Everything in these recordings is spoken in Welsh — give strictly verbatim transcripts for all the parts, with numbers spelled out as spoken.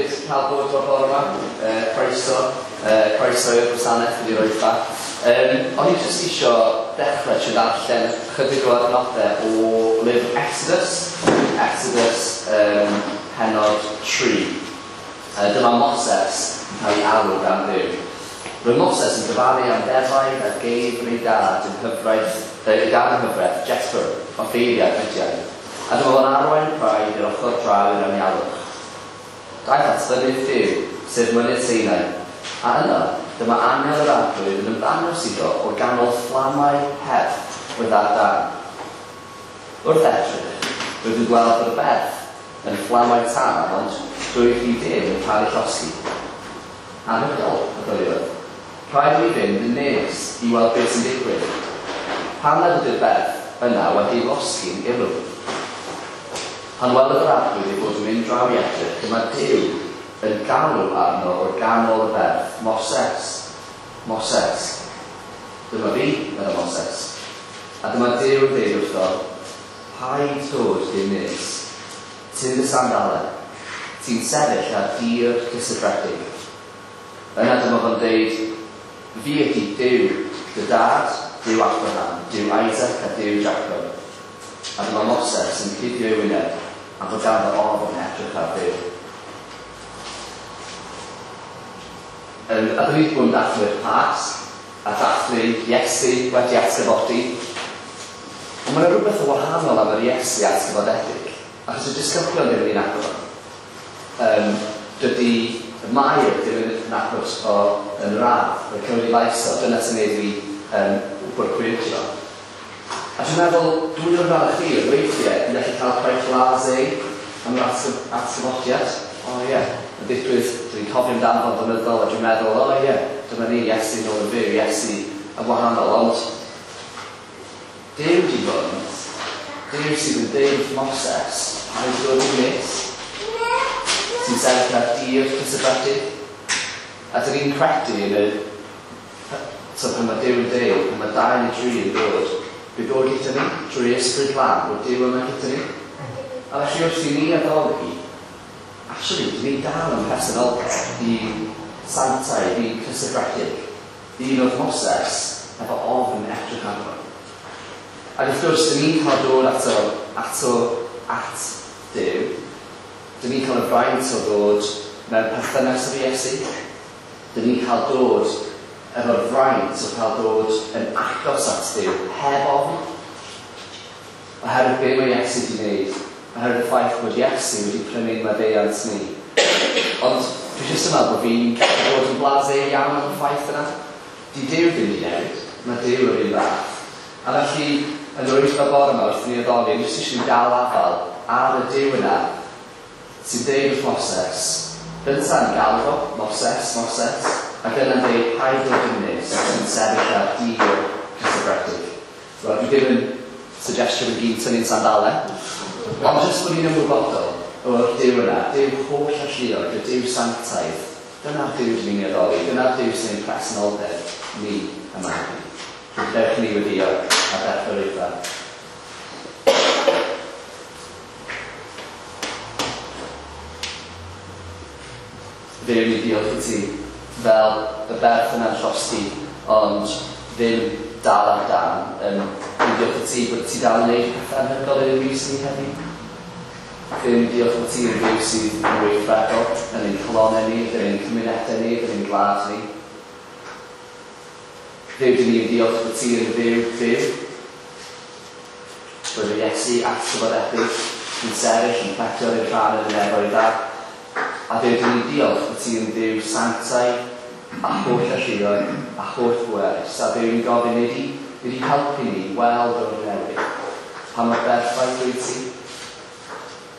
hyfryd cael bod o'r bore yma. Uh, croeso, uh, croeso i'r gwasanaeth wedi roi ffa. Um, o'n i jyst eisiau dechrau trwy ddarllen chydig o adnodau o lyfr Exodus, Exodus um, pennod tri. Uh, dyma Moses yn cael ei alw gan Dduw. Roedd Moses yn dyfalu am ddefaid a geifr ei dad yn hyfraith, ei dad yn hyfraith, Jethro, offeiriad Midian. A dyma fo'n arwain y praidd i'r ochr draw i'r anialwch. Daeth at fynydd Duw, sef mynydd Sinai, a yno, dyma angel yr Arglwydd yn ymddangos iddo o ganol fflamau perth oedd ar dân. Wrth edrych, roedd yn gweld bod y berth yn fflamau tân, ond doedd hi ddim yn cael ei llosgi. Anhygoel, meddyliwyd. Rhaid i mi fynd yn nes i weld beth sy'n digwydd. Pam nad ydy'r berth yna wedi losgi'n ilw? Pan welodd yr Arglwydd ei fod yn mynd draw i edrych, dyma Duw yn galw arno o'r ganol y berth, Moses, Moses. Dyma fi, meddai Moses. A dyma Duw yn dweud wrtho, paid dod dim nes, tyn dy sandalau, ti'n sefyll ar dir cysegredig. Yna dyma fo'n dweud, fi ydy Duw, dy dad, Duw Abraham, Duw Isaac a Duw Jacob. A dyma Moses yn cuddio ei wyneb, a fod ganddo ofn edrych ar Dduw. Um, a dyn ni wedi bod yn dathlu'r Pasg, a dathlu Iesu wedi atgyfodi. Ond mae yna rhywbeth o wahanol am yr Iesu atgyfodedig, achos y disgyblion ddim yn ei nabod. Um, dydy Mair ddim yn nabod o yn yr ardd, mae'n cymryd ei lais o, dyna sy'n neud i um, wybod pwy ydi o. A dwi'n meddwl, dwi'n o'r fel chi, weithiau, yn gallu cael quite blasé am yr atgyfodiad. O ie, yeah. Yn digwydd, dwi'n cofio amdano fo'n flynyddol, a dwi'n meddwl, o ie, yeah, dyma ni, Iesu nôl yn fyw, Iesu yn wahanol, ond Duw di hwn, Duw sydd yn deud Moses, paid dod i'n nes, sy'n sefyll ar dir cysegredig. A dyn ni'n credu yn y, so pan mae Duw yn deud, pan mae dau neu dri yn dod, bydd o gyda ni, drwy Ysbryd Glân, bod Duw yma gyda ni. A felly wrth i ni addoli, actually, dyn ni dal yn personoldeb i sanctaidd, i cysegredig. Un oedd Moses efo ofn edrych arno. Ac wrth gwrs, dyn ni'n cael dod ato, ato, at Duw. Dyn ni'n cael y fraint o ddod mewn perthynas efo Iesu. Dyn ni'n cael dod efo'r fraint o cael dod yn agos at Duw, heb ofn. Oherwydd be mae Iesu wedi wneud, oherwydd y ffaith bod Iesu wedi prynu'n maddeuant ni. Ond dwi jyst yn meddwl bod fi'n bod yn blasé iawn am y ffaith yna. Di Duw ddim wedi newid, mae Duw yr un fath. A felly, yn yr wythnos bore yma, wrth i ni addoli, jyst eisiau ni dal afal ar y Duw yna sy'n deud wrth Moses. Gynta'n galw fo, Moses, Moses, ac yna'n dweud, paid dod yn nes, sy'n sefyll ar dir cysegredig. Wel, dwi ddim yn suggestio fy gyd tynnu'n sandalau, ond jyst bod ni'n ymwybodol o'r Duw yna, Duw holl alluog, y Duw sanctaidd, dyna'r Duw dyn ni'n addoli, dyna'r Duw sy'n ein presenoldeb ni yma heddiw. Dewch ni weddio a dechrau'r oedfa. Dduw, ni diolch i ti fel y berth yna'n llosgi, ond ddim dal ar dan. Um, ni diolch i ti bod ti dal yn gwneud pethau anhygoel yn ein mis ni heddiw. Dduw, ni diolch bod ti yn Dduw sydd yn weithredol yn ein calonnau ni, yn ein cymunedau ni, yn ein gwlad ni. Dduw, dyn ni'n diolch bod ti yn Dduw byw. Bod y Iesu atgyfodedig yn sefyll yn pletio i'r rhan yn y nefoedd. A Dduw, dyn ni'n diolch bod ti yn Dduw sanctaidd a holl alluog a holl bwerus. A Dduw, ni'n gofyn i di helpu ni weld o'r newydd pa mor berffaith wyt ti.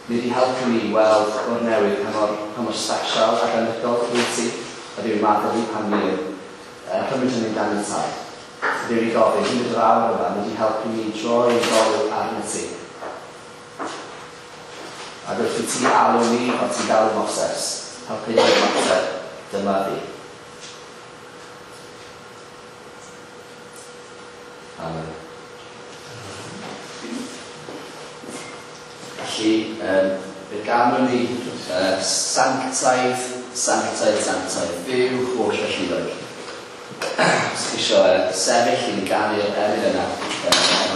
Nid i helpu ni weld o'r newydd pa mor, pa mor special ac anhygoel wyt ti. A Dduw, maddau ni pan ni yn cymryd hynny'n ganiataol. A Dduw, ni'n gofyn, hyd yr awr yma, nid i helpu ni droi ein golwg arnat ti. Ac wrth i ti alw ni, fel ti'n galw Moses, helpu ni ymateb, dyma fi. Amen. Felly, um, fe ganwn ni Uh, sanctaidd, sanctaidd, sanctaidd, Dduw holl alluog. Os chi eisiau uh, sefyll i ni ganu'r emyn yna. Uh,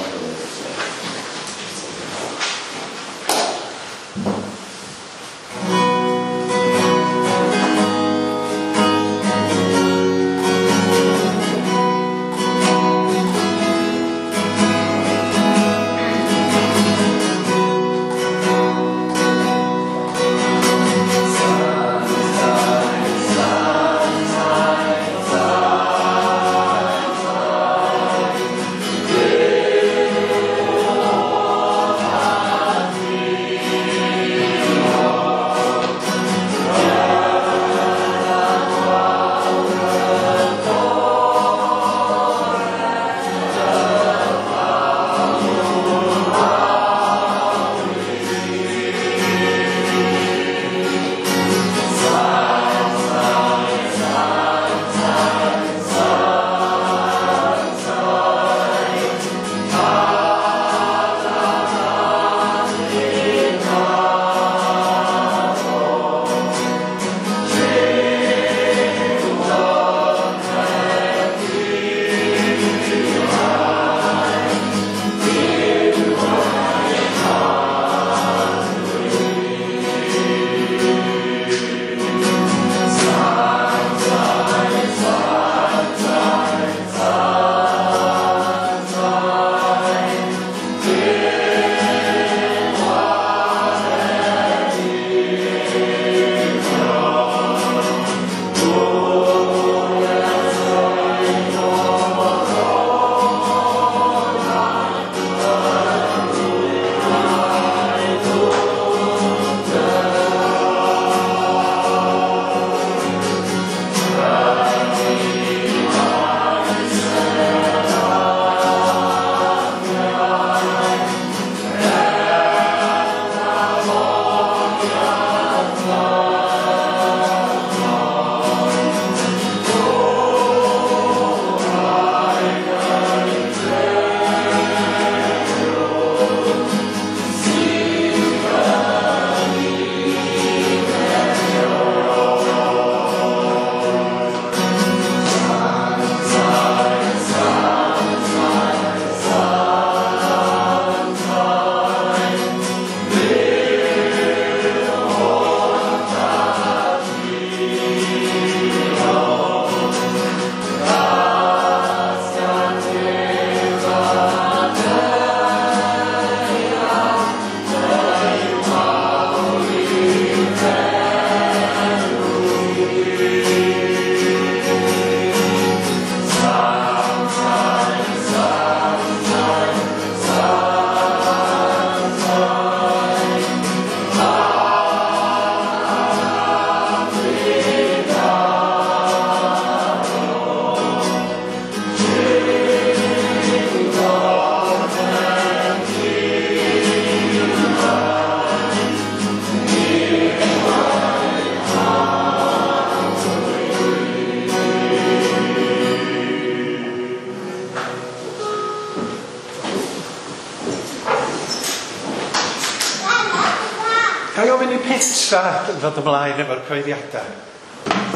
Ga i ofyn i Petra ddod ymlaen efo'r cyhoeddiadau?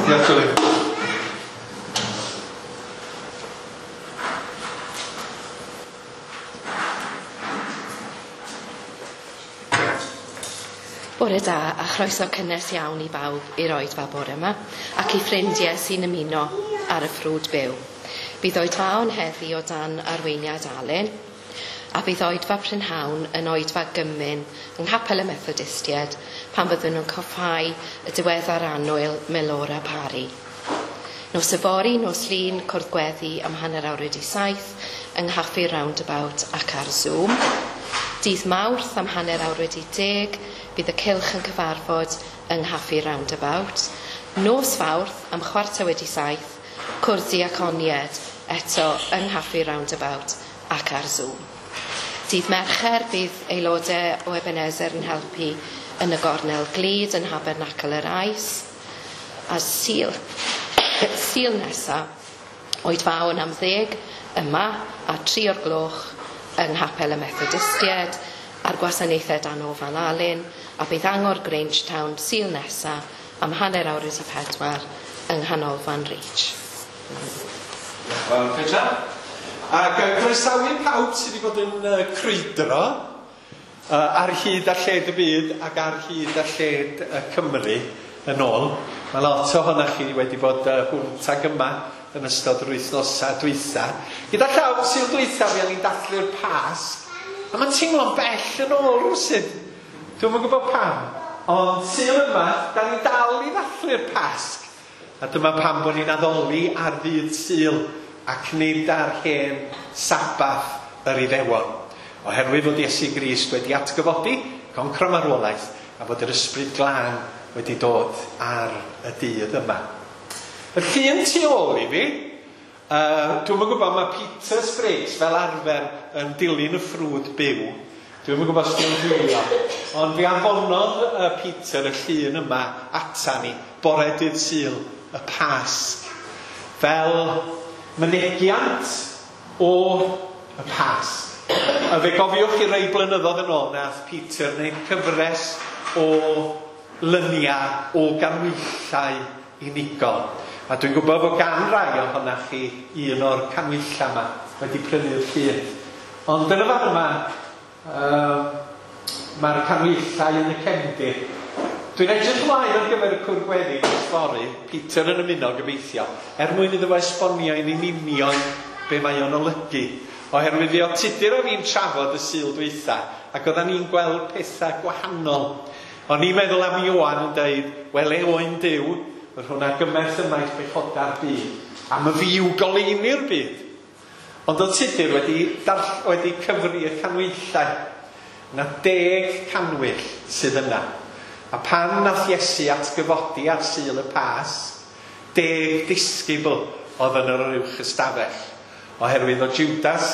Diolch, Julie. Bore da a chroeso cynnes iawn i bawb i'r oedfa bore yma ac i ffrindiau sy'n ymuno ar y ffrwd byw. Bydd oedfaon heddi o dan arweiniad Alun a bydd oedfa prynhawn yn oedfa gymun yng Nghapel y Methodistiaid pan fyddwn nhw'n coffhau y diweddar annwyl Melora Parry. Nos yfory, nos Lun, cwrdd gweddi am hanner awr wedi saith yng Nghaffi Roundabout ac ar Zoom. Dydd Mawrth am hanner awr wedi deg, bydd y cylch yn cyfarfod yng Nghaffi Roundabout. Nos Fawrth am chwarter wedi saith, cwrdd diaconied eto yng Nghaffi Roundabout ac ar Zoom. Dydd Mercher bydd aelodau o Ebenezer yn helpu yn y gornel glud yn Nhabernacl yr Ais. A Sul, Sul nesa, oedfaon am ddeg yma a tri o'r gloch yng Nghapel y Methodistiaid a'r gwasanaethau dan ofal Alun, a bydd Angor Grangetown Sul nesa am hanner awr wedi pedwar yng Nghanolfan Reach. Wel, Petra. Ac uh, croesawu pawb sydd wedi bod yn uh, crwydro uh, ar hyd a lled y byd ac ar hyd a lled uh, Cymru yn ôl. Mae lot ohonoch chi wedi bod uh, hwnt ag yma yn ystod yr wythnosau dwytha. Gyda llaw, Sul dwytha, fuon ni'n dathlu'r Pasg. A mae'n teimlo'n bell yn ôl rywsut. Dwi'm yn gwybod pam. Ond Sul yma, da ni'n dal i ddathlu'r Pasg. A dyma pam bod ni'n addoli ar ddydd Sul ac nid ar hen Sabath yr Iddewon. Oherwydd fod Iesu Grist wedi atgyfodi, concro marwolaeth, a fod yr Ysbryd Glân wedi dod ar y dydd yma. Y llun tu ôl i fi, uh, dwi'm yn gwybod, mae Peter Spriggs fel arfer yn dilyn y ffrwd byw. Dwi'm yn gwybod os dwi'n gwylio, ond fi anfonodd uh, Peter y llun yma ata ni, bore dydd Sul, y Pasg, fel mynegiant o y Pasg. A fe gofiwch chi rai blynyddoedd yn ôl nath Peter wneud cyfres o lyniau o ganhwyllau unigol. A dwi'n gwybod fod gan rai ohonoch chi un o'r canhwyllau yma wedi prynu'r llun. Ond yn y fan yma, uh, mae'r canhwyllau yn y cefndir. Dwi'n edrych ymlaen ar gyfer y cwrdd gweddi dros fory, Peter yn ymuno gobeithio, er mwyn iddo fo esbonio i ni'n union be mae o'n olygu. Oherwydd fi oedd Tudur a fi'n trafod y Sul dwytha, ac oeddan ni'n gweld pethau gwahanol. O'n i'n meddwl am Ioan yn deud, wele oen Duw, yr hwnna gymerth ymaith bechodau'r byd, a my fi yw goleuni'r byd. Ond oedd Tudur wedi, darll, wedi cyfri y canhwyllau. Na deg canwyll sydd yna. A pan nath Iesu atgyfodi ar Sul y Pasg, deg disgybl oedd yn yr uwch ystafell. Oherwydd o Judas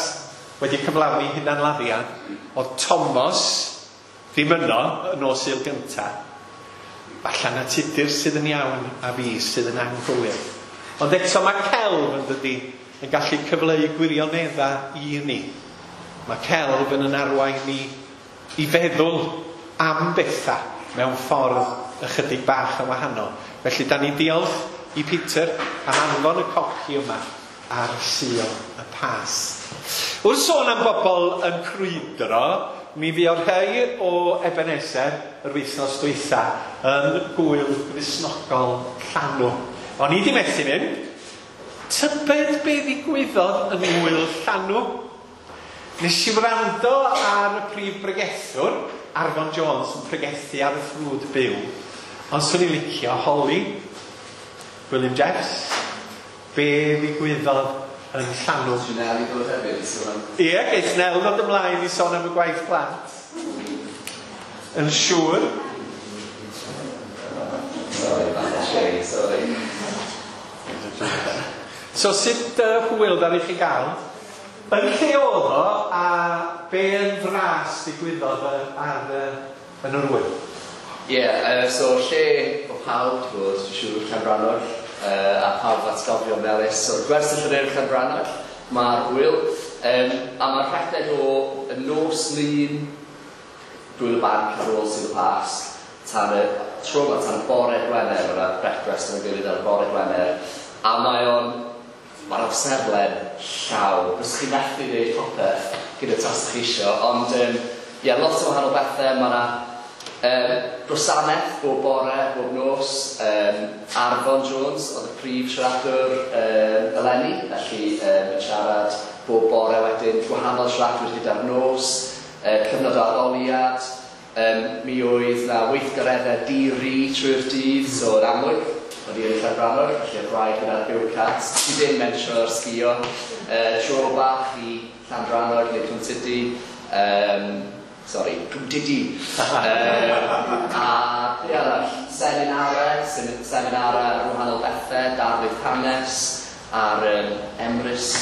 wedi cyflawni hunanladdiad, oedd Thomas ddim yno yn nos Sul gyntaf. Falla na Tudur sydd yn iawn a fi sydd yn anghywir. Ond eto mae celf yn dydi yn gallu cyfleu gwirioneddau i ni. Mae celf yn yn arwain ni i feddwl am bethau mewn ffordd ychydig bach yn wahanol. Felly da ni'n diolch i Peter am anfon y copi yma ar Sul y Pasg. Wrth sôn am bobl yn crwydro, mi fuodd rhai o Ebenezer yr wythnos dwytha yn gwyl Gristnogol Llanw. O'n i di methu mynd. Tybed be ddigwyddodd yn ngwyl Llanw? Nes i wrando ar y prif bregethwr, Arfon Jones, yn pregethu ar y ffrwd byw. Ond swn i'n licio holi William Jeffs, be ddigwyddodd yn Llanw. Nel i ddod hefyd i sôn am... Ie, geith Nel ddod ymlaen i sôn am y gwaith plant. Yn siŵr. Sorry, bach o shei, sorry. So sut uh, hwyl ddaru chi gael? Yn lle oedd o, a be yn fras ddigwyddodd ar, uh, yn yr wyl? Ie, yeah, uh, so lle o pawb di bod, dwi'n siŵr, Llangrannog, uh, a pawb atgofion melys. So gwersyll yr Urdd Llangrannog, mae'r wyl, um, a mae'r rhedeg o y nos Lun, Gwyl y Banc ar ôl Sul y Pasg, tan y tro yma, tan y bore Gwener, mae'r brecwast yn gilydd ar y bore Gwener, a mae o'n, mae'r amserlen llawn. Rydych chi'n methu gwneud popeth gyda tas chi isio, ond um, yeah, lot o wahanol bethau. Mae yna um, gwasanaeth bob bore, bob nos. Um, Arfon Jones oedd y prif siaradwr um, eleni, felly um, yn siarad bob bore wedyn, gwahanol siaradwyr gyda'r nos, uh, cyfnod o aroliad. Um, mi oedd na weithgareddau di-ri trwy'r dydd, so yn amlwg, o'n i yn Llangrannog, felly oedd rhaid gyda'r go-kart. Ti ddim mentro'r sgio. Uh, tro bach i Llangrannog neu Cwmtydu. Um, sorry, Cwmtydu. um, a be arall? Seminarau, seminarau ar wahanol bethau, darlith hanes, ar um, Emrys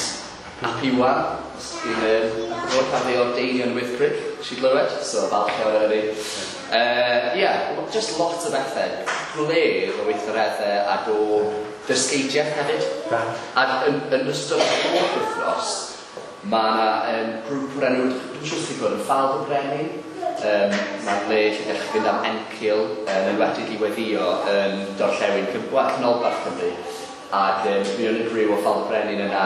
ap Iwan, os ti'n um, gwybod pan fe o'r Deinion Wyddgrug, si glywed, so falch iawn o hynny. Uh, yeah, just lot o bethau, gwledd o weithgareddau ac o ddysgeidiaeth hefyd. A yn, yn ystod y holl wythnos, mae yna um, grŵp o'r enw, dwi'n siŵr sy'n gwybod, yn Ffald y Brenin. Um, mae'n le lle gallwch chi fynd am encil, yn enwedig i weddio yn Dorllewin, wel, Canolbarth Cymru. Ac um, mi o'n y griw o Ffald y Brenin yna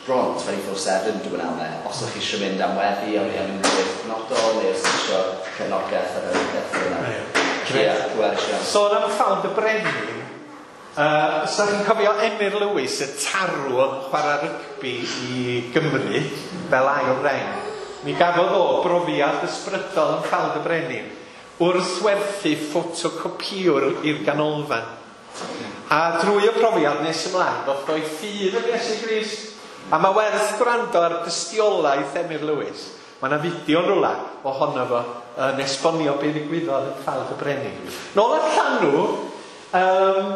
bron twenty-four seven dwi'n amau. Os ydych chi eisiau mynd am weddi, am am unrhyw beth penodol, neu os ydych chi eisiau cefnogaeth ar yr beth yna. Ie, pwerus iawn. Sôn am Ffald y Brenin, uh, os ydych chi'n cofio Emyr Lewis, y tarw oedd yn chwarae rygbi i Gymru, fel ail reng. Mi gafodd o brofiad ysbrydol yn Ffald y Brenin wrth werthu ffotocopïwr i'r ganolfan. A drwy y profiad nes ymlaen, ddoth o'i ffydd yn Iesu Grist. A mae werth gwrando ar dystiolaeth Emyr Lewis. Mae yna fideo yn rhywle ohono fo yn esbonio be ddigwyddodd yn Ffald y Brenin. Nôl at Llanw, um,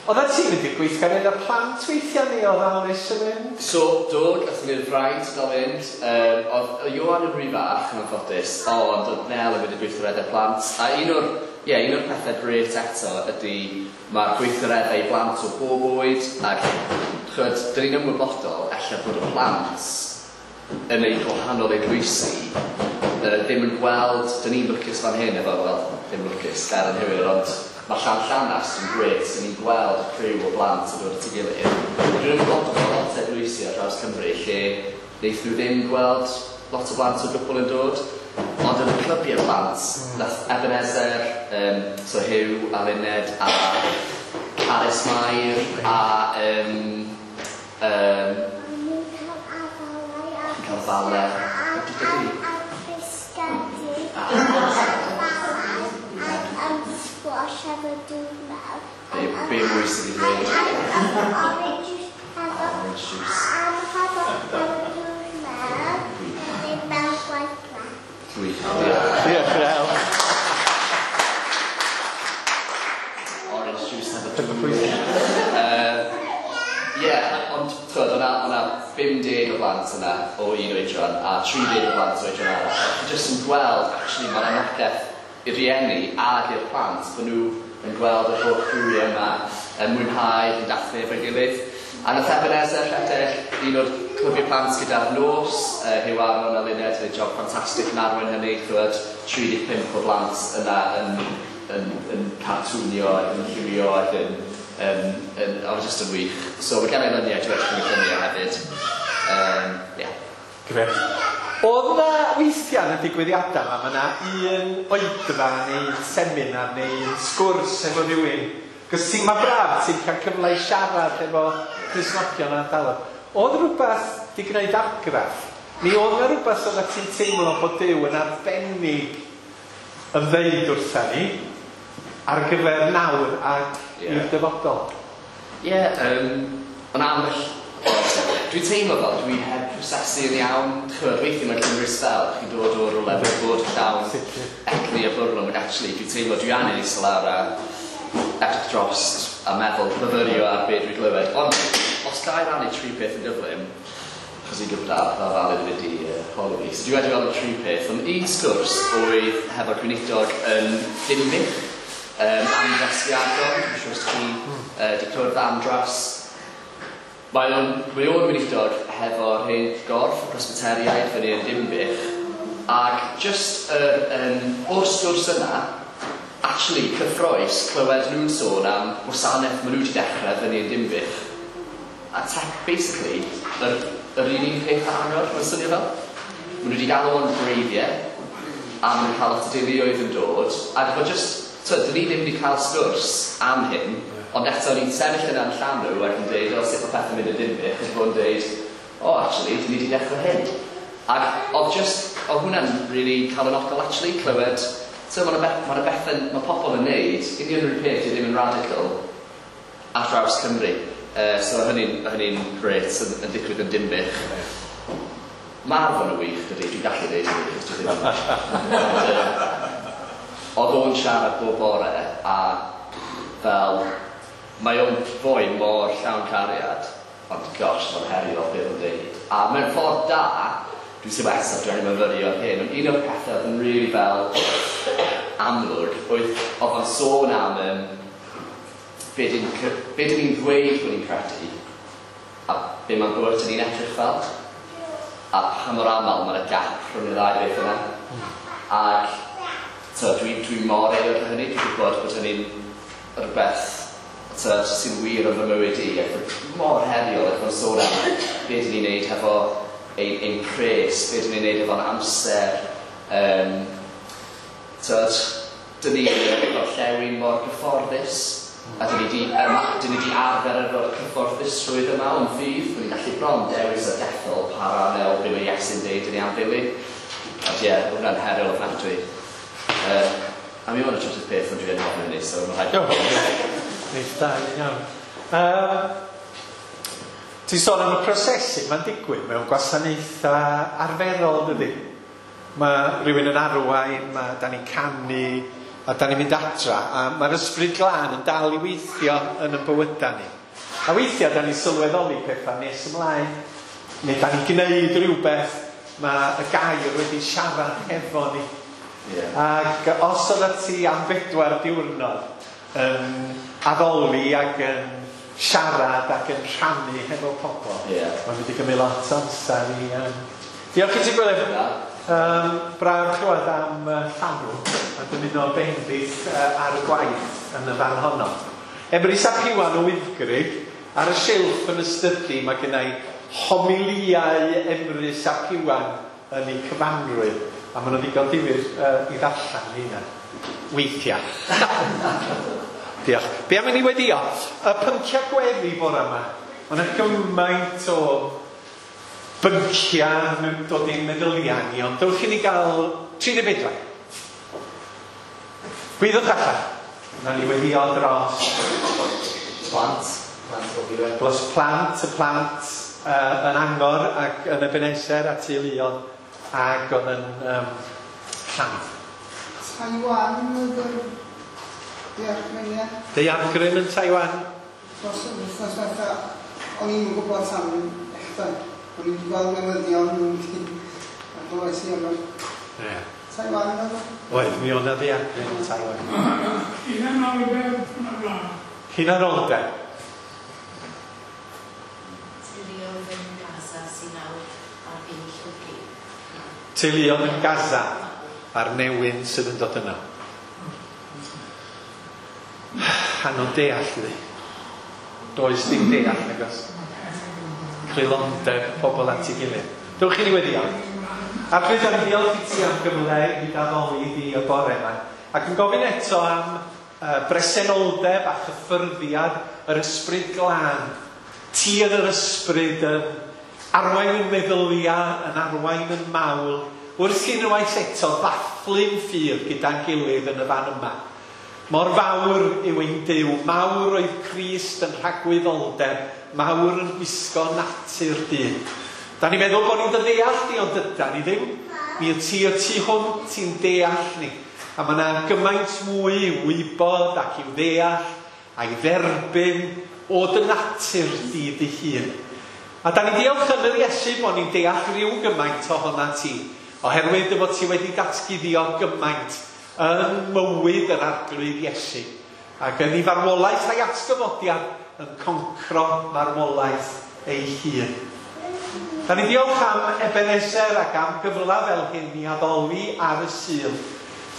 oeddet ti'n mynd i'r gweithgareddau plant weithiau neu oedd Alys yn mynd? So, do, gathon ni'r fraint o gael fynd. Um, oedd Ioan yn rhy fach yn anffodus, ond oedd Nel yn mynd i'r gweithgareddau plant. A un o'r, ie, un o'r pethau grêt eto ydy mae'r gweithgareddau i blant o bob oed, ac ch'od, dyn ni'n ymwybodol ella bod y plant yn eu gwahanol eglwysi uh, ddim yn gweld, dyn ni'n lwcus fan hyn efo, wel, ddim lwcus, gair anghywir, ond mae Llanllanast yn grêt, dyn ni'n gweld criw o blant yn dod at ei gilydd. Dwi'n ymwybodol bod lot o eglwysi ar draws Cymru lle wnaethon nhw ddim gweld lot o blant o gwbl yn dod, ond yn y clybiau plant, nath Ebenezer, um, so Huw a Luned a Alice Mair a um, um, cael fale. Be, be mwy sydd wedi dweud? Orange juice. Gwych, diolch. Diolch Nel. Orange juice efo dŵr. Ie, ond twyd, o'na, o'na pum deg o blant yna o un oedran a tri deg o blant o oedran arall. Chi jyst yn gweld, actually, mae'n anogaeth i'r rieni ag i'r plant, bod nhw yn gweld yr holl criwiau yma, yn mwynhau, yn dathlu efo'i gilydd. A nath Ebenezer rhedeg un o'r clybiau plant gyda'r nos, uh, Huw Aron a Luned, yn neud job ffantastig yn arwain hynny, ch'wod, tri deg pump o blant yna yn, yn, yn cartwnio ac yn lliwio ac yn, yn, yn, oedd jyst yn wych. So mae gen i luniau, dwi'n edrych yn y lluniau hefyd. Um, yeah. Grêt. Oedd yna weithiau yn y digwyddiadau yma, mae yna un oedfa neu un seminar neu un sgwrs efo rhywun. Cos ti'n, mae braf, ti'n cael cyfle i siarad efo Cristnogion yn ardaloedd. Oedd rhywbeth di gwneud argraff? Neu oedd yna rhywbeth oedd ti'n teimlo bod Duw yn arbennig yn ddeud wrtha ni ar gyfer nawr ac Ie. i'r dyfodol? Ie, yeah, um, ond ambell... Dwi'n teimlo fel dwi heb prosesu yn iawn. Ch'mod, weithiau mae'n cymryd spel, chi'n dod o rywle fel bod llawn egni a bwrlwm, ac actually dwi'n teimlo dwi angen eistedd lawr a edrych dros a meddwl, myfyrio ar be dwi'n glywed. Ond os ga i rannu tri peth yn gyflym, achos i'n gwybod ar fel Alun yn mynd i uh, holi fi. So dwi wedi weld y tri peth, ond un sgwrs oedd hefo'r gweinidog yn Dinbych, um, Andras Iadon, dwi'n siŵr os chi uh, di clywed Andras. Mae o'n, mae o'n weinidog hefo'r hen gorff y Presbyteriaid fyny yn Dinbych, ac just yr, um, o'r sgwrs yna, actually cyffrous clywed nhw'n sôn am wasanaeth maen nhw wedi dechrau fyny yn Dinbych. A tech, basically, yr, yr un un peth arall, mae'n swnio fel. Maen nhw wedi galw o'n gwreiddiau, a maen nhw'n cael lot o deuluoedd yn dod, ac mae just, twyd, dyn ni ddim wedi cael sgwrs am hyn, ond eto ni'n sefyll yna yn Llanw ac yn deud, o, sut mae pethau'n mynd yn Dinbych, ac fo'n deud, o, oh, actually, dyn ni wedi dechrau hyn. Ac oedd just, oedd hwnna'n really calonogol, actually, clywed, so mae yna ma bethau, mae pobl yn neud, union yr un peth, dwi ddim yn radical, ar draws Cymru. Uh, so hynny'n hynny grêt yn, yn digwydd yn Dinbych. Mae Arfon yn wych, dydy, dwi'n gallu dweud hynny, achos dwi ddim yn. Ond, yy, oedd o'n siarad bob bore, a fel, mae o'n foi mor llawn cariad, ond gosh, mae'n heriol beth o'n deud. A mewn ffordd da, dwi'n teimlo eto, dwi'n angen myfyrio ar hyn, ond un o'r pethau oedd yn really fel amlwg, oedd oedd o'n sôn am um, be dyn be dyn ni'n ddweud bod ni'n credu, a be mae'n bywyd ni'n edrych fel, a pa mor aml mae'n y gap rhwng y ddau beth yna. Ac so, dwi, dwi mor euog o hynny, dwi'n gwybod bod hynny'n rhywbeth so, sy'n wir yn fy mywyd i, ac mor heriol ac mae'n sôn am be dyn ni'n neud hefo ein, ein pres, be dyn ni'n neud efo'n amser. Um, so, dyn ni yn y gorllewin mor gyfforddus, a dyn ni di, um, dyn ni di arfer efo'r cyfforddusrwydd yma o'n ffydd, dyn ni'n gallu bron dewis a dethol pa ran o be mae Iesu'n deud dyn ni am ddilyn. Ond ie, yeah, hwnna'n heriol ofnadwy. Uh, a mi o'n y trydydd peth ond dwi'n ofyn hynny, so mae'n rhaid. Neith da, iawn. Um, ti'n sôn am y prosesu, mae'n digwydd mewn gwasanaethau arferol, dydy? Mae rhywun yn arwain, mae da ni'n canu, a da ni'n mynd adra, a mae'r ysbryd glân yn dal i weithio yn y bywydau ni. A weithiau da ni'n sylweddoli pethau nes ymlaen, neu da ni'n gwneud rhywbeth, mae y gair wedi siarad hefo ni. Yeah. Ac os oeddet ti am bedwar diwrnod yn addoli ac yn siarad ac yn rhannu hefo pobl, yeah. Mae'n mynd i gymryd lot o amser i... Um... Diolch i ti, Gwilym. Um, braf clywed am uh, llanw a dymuno bendith uh, ar y gwaith yn y fan honno. Emrys ap Iwan o Wyddgrug, ar y silff yn y stydi mae gennai homiliau Emrys ap Iwan yn ei cyfanrwydd. A maen nhw'n ddigon difyr uh, i ddarllen hynna. Weithiau. Diolch. Be am i ni weddio? Y pynciau gweddi bore yma. Mae yna gymaint o bynciau yn dod i'n meddyliau ni, ond dewch i ni gael tri deg pedwar. Gwyddwch allan. Na ni weddio dros plant. Plant o byd. Dros plant, y plant uh, yn Angor ac yn Ebenezer a teuluoedd ac oedd yn um, llanw. Taiwan oedd yr daeargryn, ie? Daeargryn yn Taiwan. Dros y wythnos diwetha, o'n i'n gwybod tan echdan. O'n i'n gweld newyddion a glywais i am Ie. Taiwan oedd o? Oedd, mi oedd 'na ddaeargryn yn Taiwan. Hunanoldeb yn y wlad. Hunanoldeb. Teuluoedd yn Gaza sy'n nawr ar fin llwgu. Teuluoedd yn Gaza a'r newyn sydd yn dod yna. Anodd deall, ydi. Does dim deall, nag oes. Creulondeb pobl at ei gilydd. Dewch i ni weddio. Arglwydd, da ni diolch i ti am gyfle i addoli di y bore yma. Ac yn gofyn eto am uh, bresenoldeb a chyffyrddiad yr ysbryd glân. Ti yn yr ysbryd yn arwain yn meddyliau, yn arwain yn mawl. Wrth i unwaith eto ddathlu'n ffydd gyda'n gilydd yn y fan yma. Mor fawr yw ein Duw, mawr oedd Crist yn rhagwyddoldeb, mawr yn gwisgo natur dyn. Da ni'n meddwl bod ni'n dy ddeall di, ond dydan ni ddim. Mi y ti y tu hwnt ti'n deall ni. A mae yna gymaint mwy i'w wybod ac i'w ddeall a'i dderbyn o dy natur di dy hun. A da ni'n diolch yn yr Iesu bod ni'n deall rhyw gymaint ohona ti, oherwydd dy fod ti wedi datguddio gymaint yn mywyd yr Arglwydd Iesu. Ac yn ei farwolaeth a'i atgyfodiad yn concro marwolaeth ei hun. Da ni diolch am Ebenezer ac am gyfle fel hyn i addoli ar y Sul.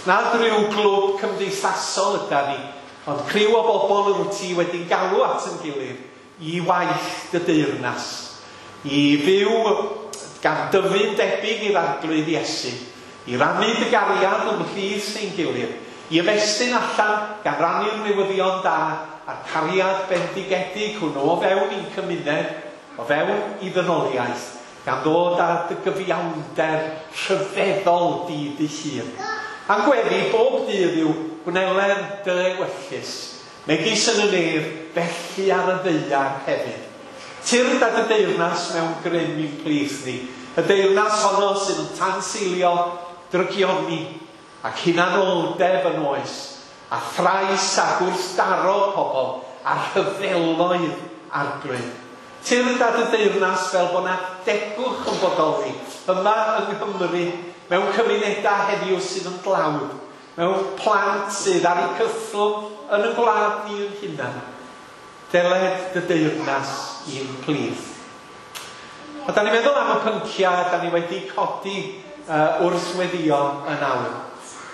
Nad rhyw glwb cymdeithasol yda ni, ond criw o bobl yr wyt ti wedi galw at yn gilydd i waith dy deyrnas, i fyw gan dyfu'n debyg i'r Arglwydd Iesu, i rannu dy gariad ymhlith ein gilydd, i ymestyn allan gan rannu'r newyddion da a'r cariad bendigedig hwnnw o fewn i'n cymuned, o fewn i ddynoliaeth, gan ddod â dy gyfiawnder rhyfeddol di dy hun. A'n gweddi bob dydd yw gwneler dy ewyllys, megis yn y nef, felly ar y ddaear hefyd. Tyrd â dy deyrnas mewn grym i'n plith ni, y deyrnas honno sydd yn tanseilio drygioni ac hunanoldeb yn oes, a thrais a gwrthdaro pobl, a rhyfeloedd Arglwydd. Tyrd â dy deyrnas fel bod 'na degwch yn bodoli yma yng Nghymru, mewn cymunedau heddiw sydd yn dlawd, mewn plant sydd ar eu cythlwm yn y gwlad ni yn hunan. Deled dy deyrnas i'n plith. A da ni'n meddwl am y pynciau da ni wedi codi uh, wrth weddio yn awr.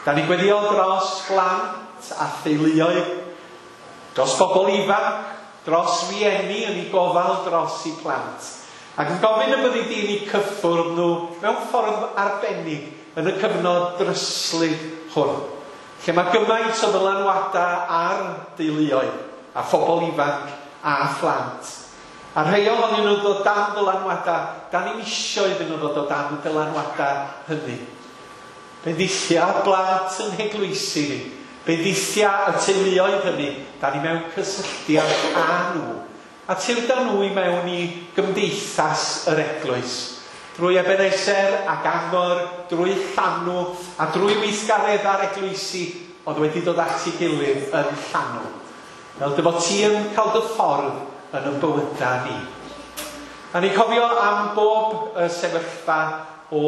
Da ni'n gweddio dros blant a theuluoedd, dros bobl ifanc, dros rieni yn ei gofal dros eu plant. Ac yn gofyn y byddi di'n eu cyffwrdd nhw mewn ffordd arbennig yn y cyfnod dryslyd hwn, lle mae gymaint o ddylanwadau ar deuluoedd a phobl ifanc a phlant. A rhai ohonyn nhw'n dod dan ddylanwadau, da ni'n isio iddyn nhw ddod o dan y dylanwadau hynny. Bendithia blant yn heglwysi ni, bendithia y teuluoedd hynny, da ni mewn cysylltiad â nhw. A tyrda nhw i mewn i gymdeithas yr eglwys, drwy Ebenezer ac Angor, drwy Llanw a drwy weithgareddau'r eglwysi oedd wedi dod at ei gilydd yn Llanw. Fel dy fod ti yn cael dy ffordd yn ein bywydau ni. A ni'n cofio am bob y sefyllfa o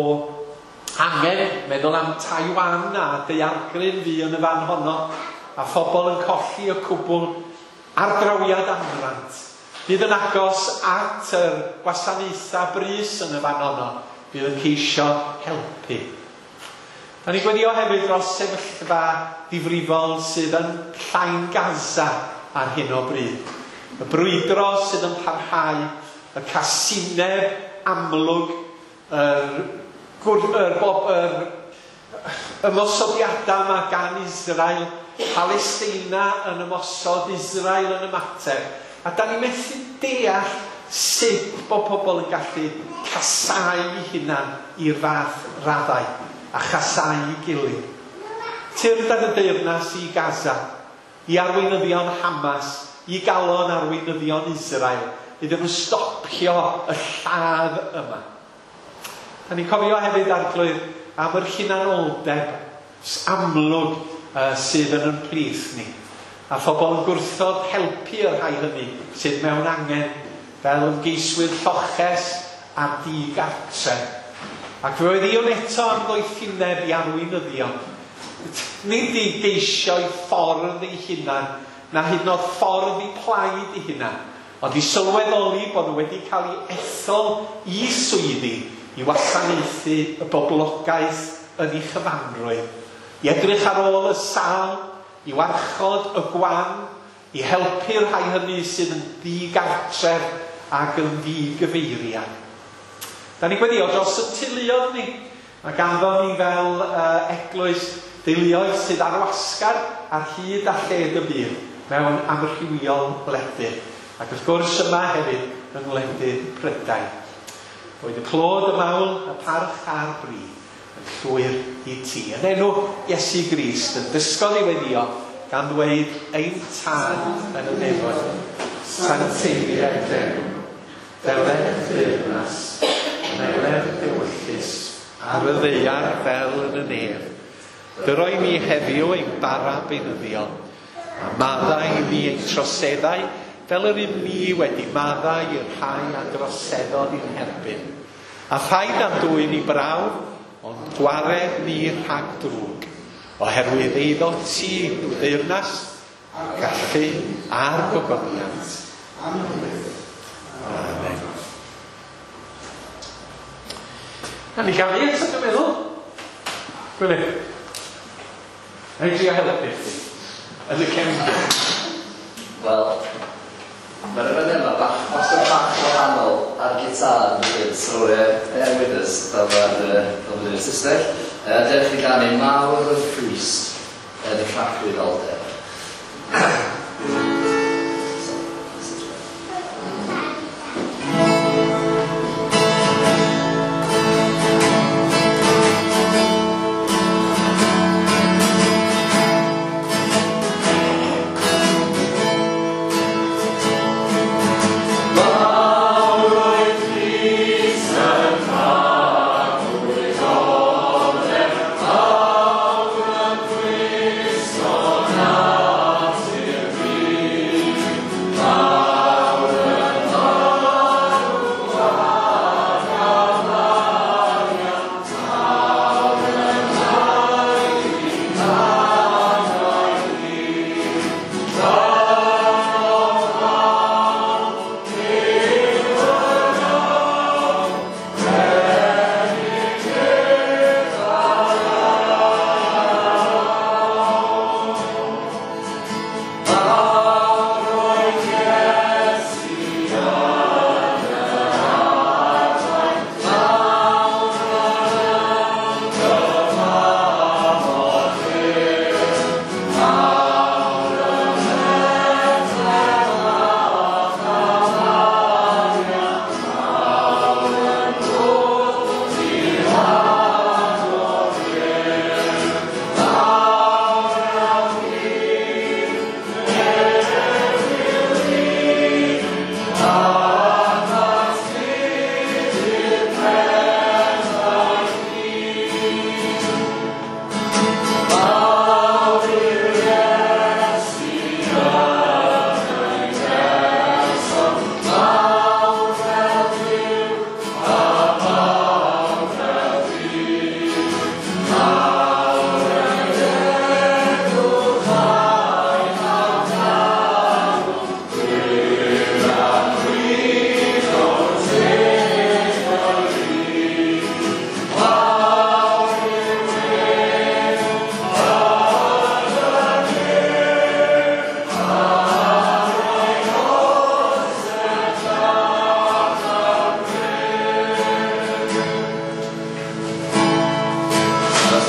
angen, meddwl am Taiwan a daeargryn fu yn y fan honno, a phobl yn colli y cwbl ardrawiad amrant. Fydd yn agos at yr gwasanaethau brys yn y fan honno, fydd yn ceisio helpu. Da ni'n gweddio hefyd dros sefyllfa ddifrifol sydd yn Llain Gaza ar hyn o bryd. Y brwydro sydd yn parhau, y casineb amlwg, yr, yr, bob, yr ymosodiadau yma gan Israel, Palestina yn ymosod, Israel yn ymateb. A da ni methu deall sut bod pobl yn gallu casau eu hunan i'r fath raddau a chasau ei gilydd. Tyrd ar y deyrnas i Gaza, i arweinyddion Hamas, i galon arweinyddion Israel, iddyn nhw stopio y lladd yma. Da ni'n cofio hefyd, Arglwydd, am yr hunanoldeb amlwg uh, sydd yn yn plith ni. A phobl yn gwrthod helpu y rhai hynny sydd mewn angen, fel ymgeiswyr lloches a digartre. Ac fe oedd Ion eto am ddoethineb i arweinyddion. Nid i geisio'i ffordd ei hunan, na hyd yn oed ffordd i plaid ei hunan, ond i sylweddoli bod nhw wedi cael ei ethol i swyddi i wasanaethu y boblogaeth yn ei chyfanrwydd, i edrych ar ôl y sâl, i warchod y gwan, i helpu'r rhai hynny sydd yn ddigartref ac yn ddigyfeiriad. Da ni'n gweddio dros y teuluoedd ni. Mae ganddo ni fel uh, eglwys deuluoedd sydd ar wasgar ar hyd a lled y byd mewn amrywiol wledydd. Ac wrth gwrs yma hefyd yng ngwledydd Prydain. Boed y clod, y mawl, y parch a'r bri yn llwyr i ti. Yn enw Iesu Grist yn dysgodd i weddio gan ddweud ein Tad yn y nefoedd, sancteiddied d'enw, deled deyrnas, meler dewyllys, ar y ddaear fel yn y nef. Dyroi ni heddiw ein bara beunyddiol, a maddau i ni ein troseddau, fel yr un ni wedi maddau i'r rhai a droseddodd i'n herbyn. A phaid â'n dwyn i brawf, ond gwared ni rhag drwg, oherwydd eiddo ti yw deyrnas, a'r gallu a'r gogoniant. Amen. Na ni gael ni eto, dwi'n meddwl. Gwylio. Na i drio helpu chdi. Yn y cefndir. Wel, mae'r yfed yma bach, wastad bach wahanol ar gitar yn dweud, so uh, bear with us, fel mae'r fel mae'r Saesneg. Uh, dewch i ganu Mawr y Ffrist yn y Tragwyddoldeb. Mawr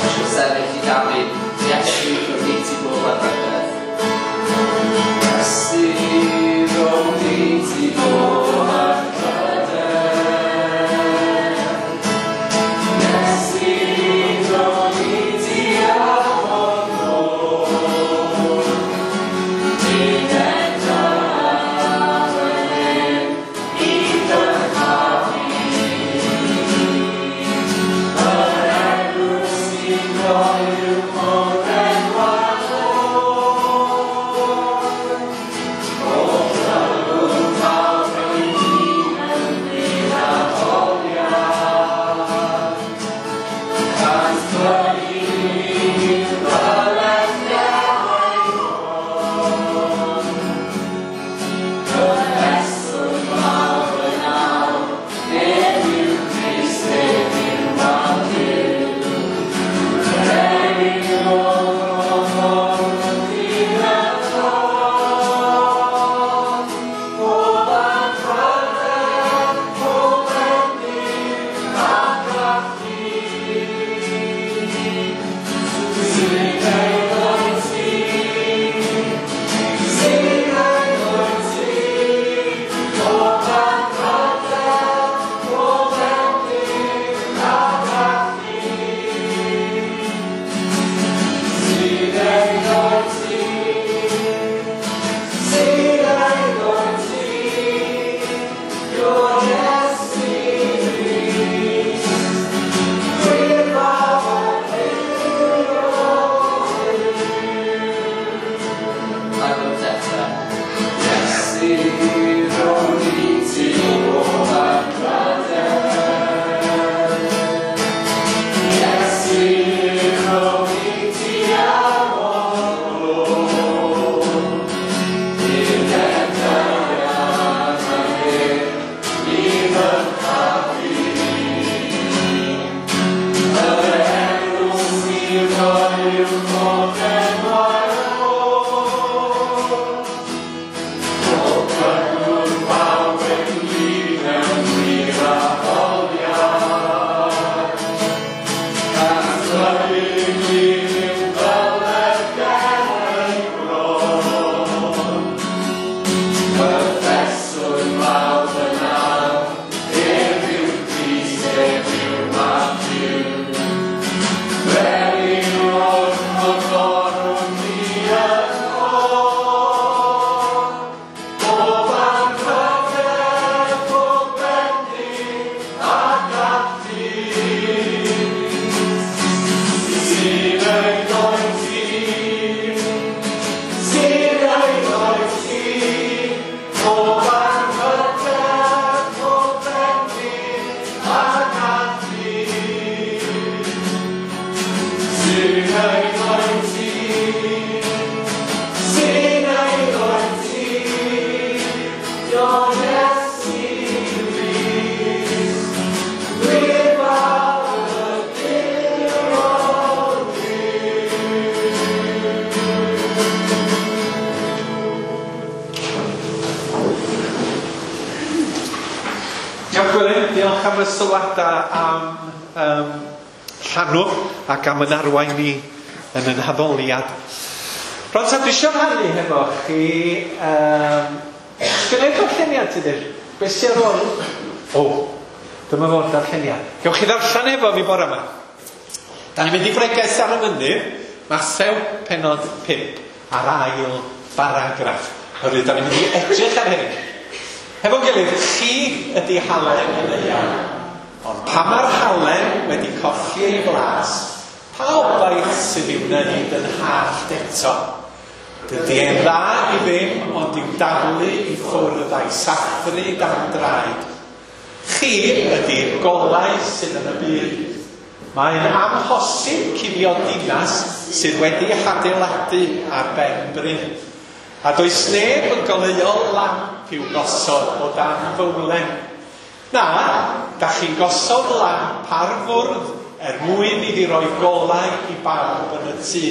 Eisiau sefyll i dalu Iesu rhwng i ti bob anrhydedd. Iesu rhwng i ti bob anrhydedd. Iesu rhwng i ti afon ôl. Nid edrych i dyrchafu. Yr enw sy'n croyw mor enwad oer. O glyw'r mawr ein dyn yn gwir addoliad. Cant blygu byledd gerau bron. Cyffeswn mawr yn awr, ef yw Crist, ef yw mab Duw. Brenin o'r ochr dyn y tron. Pob anrhydedd, pob bendith a gallu. Sy'n eiddo i ti, sy'n eiddo i ti. Pob anrhydedd, pob bendith a gallu. Sy'n eiddo i ti, sy'n eiddo i ti. Your Iesu Grist, gwir fab o Ail eto. Iesu rhwng i ti bob anrhydedd. Iesu rhwng i ti afon ôl. Nid edrych i ddyrchafu. Yr enw sy'n croyw mor enwad oer. Pob cyngor mawr ynglyn mewn gwir addoliad. Cant blygu i'w byledd ger ei bron. Cyffeswn mawr yn awr, ef yw Crist, ef yw mab Duw. Brenin o'r gorwn ni yn ôl. Pob anrhydedd, pob bendith a gallu. Sy'n eiddo i ti, sy'n eiddo i ti. Pob anrhydedd, pob bendith a gallu. Sy'n eiddo i ti, sy'n eiddo i ti. Your Iesu Grist, gwir fab y Duw Duw. Diolch Gwilym, diolch am y sylwadau am um, llanw ac am yn arwain ni yn yn haddoliad. Rwan ta, dwi eisiau rhannu hefo chi, um, sgynna i'r darlleniad ti dweud? Be sy ar ôl? O, dyma fo'r darlleniad. Gewch chi ddarllen efo fi bore yma. Da ni'n mynd i bregeth ar y mynydd, Mathew pennod pump, a'r ail baragraff. Oherwydd da ni'n mynd i edrych ar hyn. Hefo'n gilydd, chi ydi halen y ddaear. Ond pan mae'r halen wedi colli ei flas, pa obaith sydd i'w wneud yn hallt eto? Dydy e'n dda i ddim, ond i'w daflu i ffwrdd a'i sathru dan draed. Chi ydi'r golau sydd yn y byd. Mae'n amhosib cuddio dinas sydd wedi hadeiladu ar ben bryn. A does neb yn goleuo lamp i'w gosod o dan fowlen. Na, da chi'n gosod lamp ar fwrdd er mwyn iddi roi golau i bawb yn y tŷ.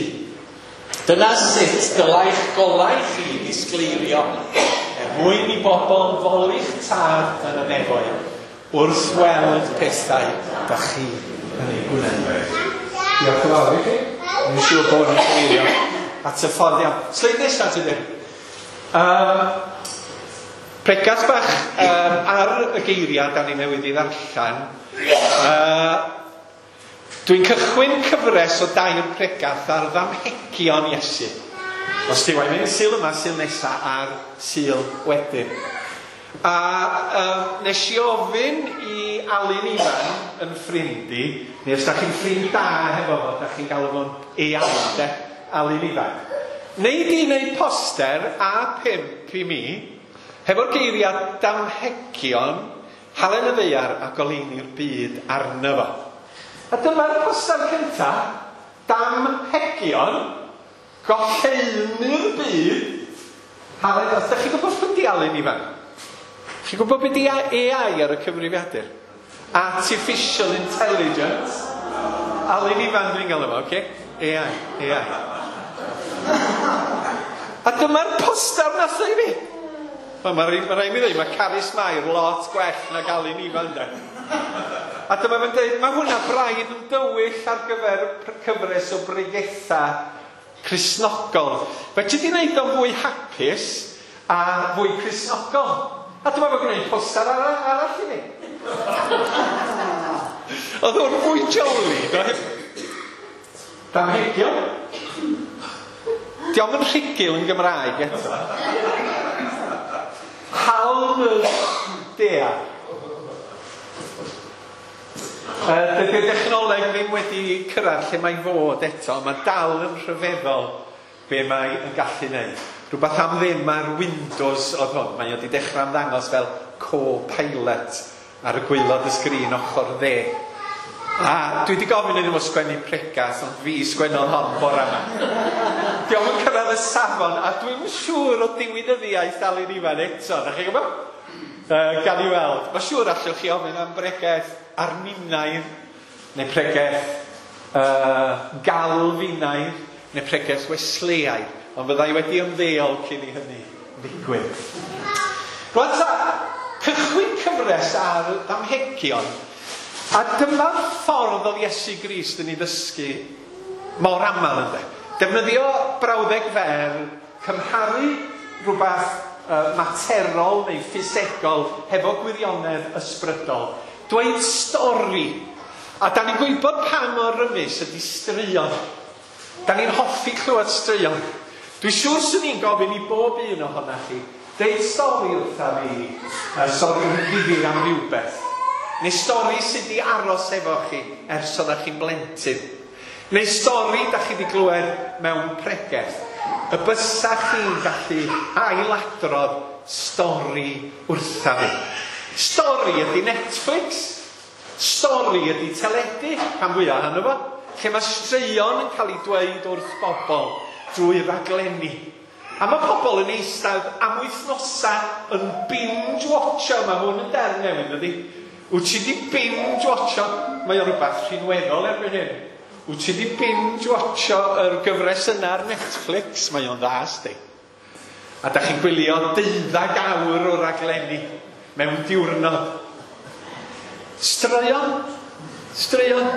Dyna sut dylai'ch golau chi ddisgleirio, er mwyn i bobl foli'ch tad yn y nefoedd, wrth weld pethau da chi yn ei gwneud. Diolch yn fawr i chi. Dwi'n siŵr bod yn cyfeirio at y ffordd iawn. Sleid nesaf ti ddim. Um, pregath bach um, ar y geiriau da ni newydd i ddarllen. Uh, dwi'n cychwyn cyfres o dair pregath ar ddamhegion Iesu. Os ti wael mynd Sul yma, Sul nesa a'r Sul wedyn. A um, nes i ofyn i Alun Ifan yn ffrind i, neu os da chi'n ffrind da hefo fo, da chi'n galw fo'n ei-Alun, de, Alun Ifan. Neu di wneud poster A pump i mi, hefo'r geiriau damhegion, halen y ddaear a goleuni'r byd arno fo. A dyma'r poster cynta, damhegion, goleuni'r byd, halen, os da chi'n gwybod pwy di Alun Ifan? Chi'n gwybod beth di A I ar y cyfrifiadur? Artificial Intelligence. Alun Ifan dwi'n gael efo, oce? A I, A I. A dyma'r poster nath i fi. Mae ma rhaid mi ddweud, mae Carys Mair lot gwell nag Alun Ifan, de. A dyma fe'n dweud, mae hwnna braidd yn dywyll ar gyfer cyfres o bregetha Cristnogol. Fe ti di wneud o'n fwy hapus a fwy Cristnogol. A dyma fo'n gwneud poster arall, arall i mi. Oedd o'n fwy jolly, do? Damhegion. Dio'm yn rhugl yn Gymraeg eto. Hal y dea. Dydy'r dechnoleg ddim wedi cyrraedd lle mae'n fod eto. Mae dal yn rhyfeddol be mae yn gallu wneud. Rhywbeth am ddim ar Windows oedd hwn. Mae wedi dechrau ymddangos fel co-pilot ar y gwaelod y sgrin ochr dde. A dwi wedi gofyn iddyn nhw sgwennu pregas, ond fi sgwennodd hon bore yma. Dio'm yn cyrraedd y safon, a dwi'm yn siŵr o diwinyddiaeth Alun Ifan eto. Da chi'n gwybod? Uh, gan i weld. Mae siŵr allwch chi ofyn am bregeth Arminaidd, neu pregeth uh, Galfinaidd, neu pregeth Wesleyaidd. Ond fyddai wedi ymddeol cyn i hynny ddigwydd. Rwan ta, cychwyn cyfres ar ddamhegion, a dyma'r ffordd oedd Iesu Grist yn ei ddysgu mor aml ynde. Defnyddio brawddeg fer, cymharu rhywbeth uh, materol neu ffisegol hefo gwirionedd ysbrydol. Dweud stori. A da ni'n gwybod pa mor rymus ydy straeon. Da ni'n hoffi clywed straeon. Dwi'n siŵr swn i'n gofyn i bob un ohonoch chi, deud stori wrtha fi, uh, stori ddifyr am rhywbeth. Neu stori sydd wedi aros efo chi ers oeddech chi'n blentyn. Neu stori da chi wedi glywed mewn pregeth. Y bysa chi'n gallu ailadrodd stori wrtha fi. Stori ydy Netflix. Stori ydy teledu, rhan fwyaf ohono fo. Lle mae straeon yn cael ei dweud wrth bobl drwy raglenni. A mae pobl yn eistedd am wythnosau yn binge-watcho. Mae hwn yn derm newydd, ydy. Wyt ti di binge-watcho? Mae o rhywbeth rhinweddol erbyn hyn. Wyt ti di binge-watcho yr gyfres yna ar Netflix? Mae o'n dda, sdi. A da chi'n gwylio deuddag awr o raglenni mewn diwrnod. Straeon. Straeon.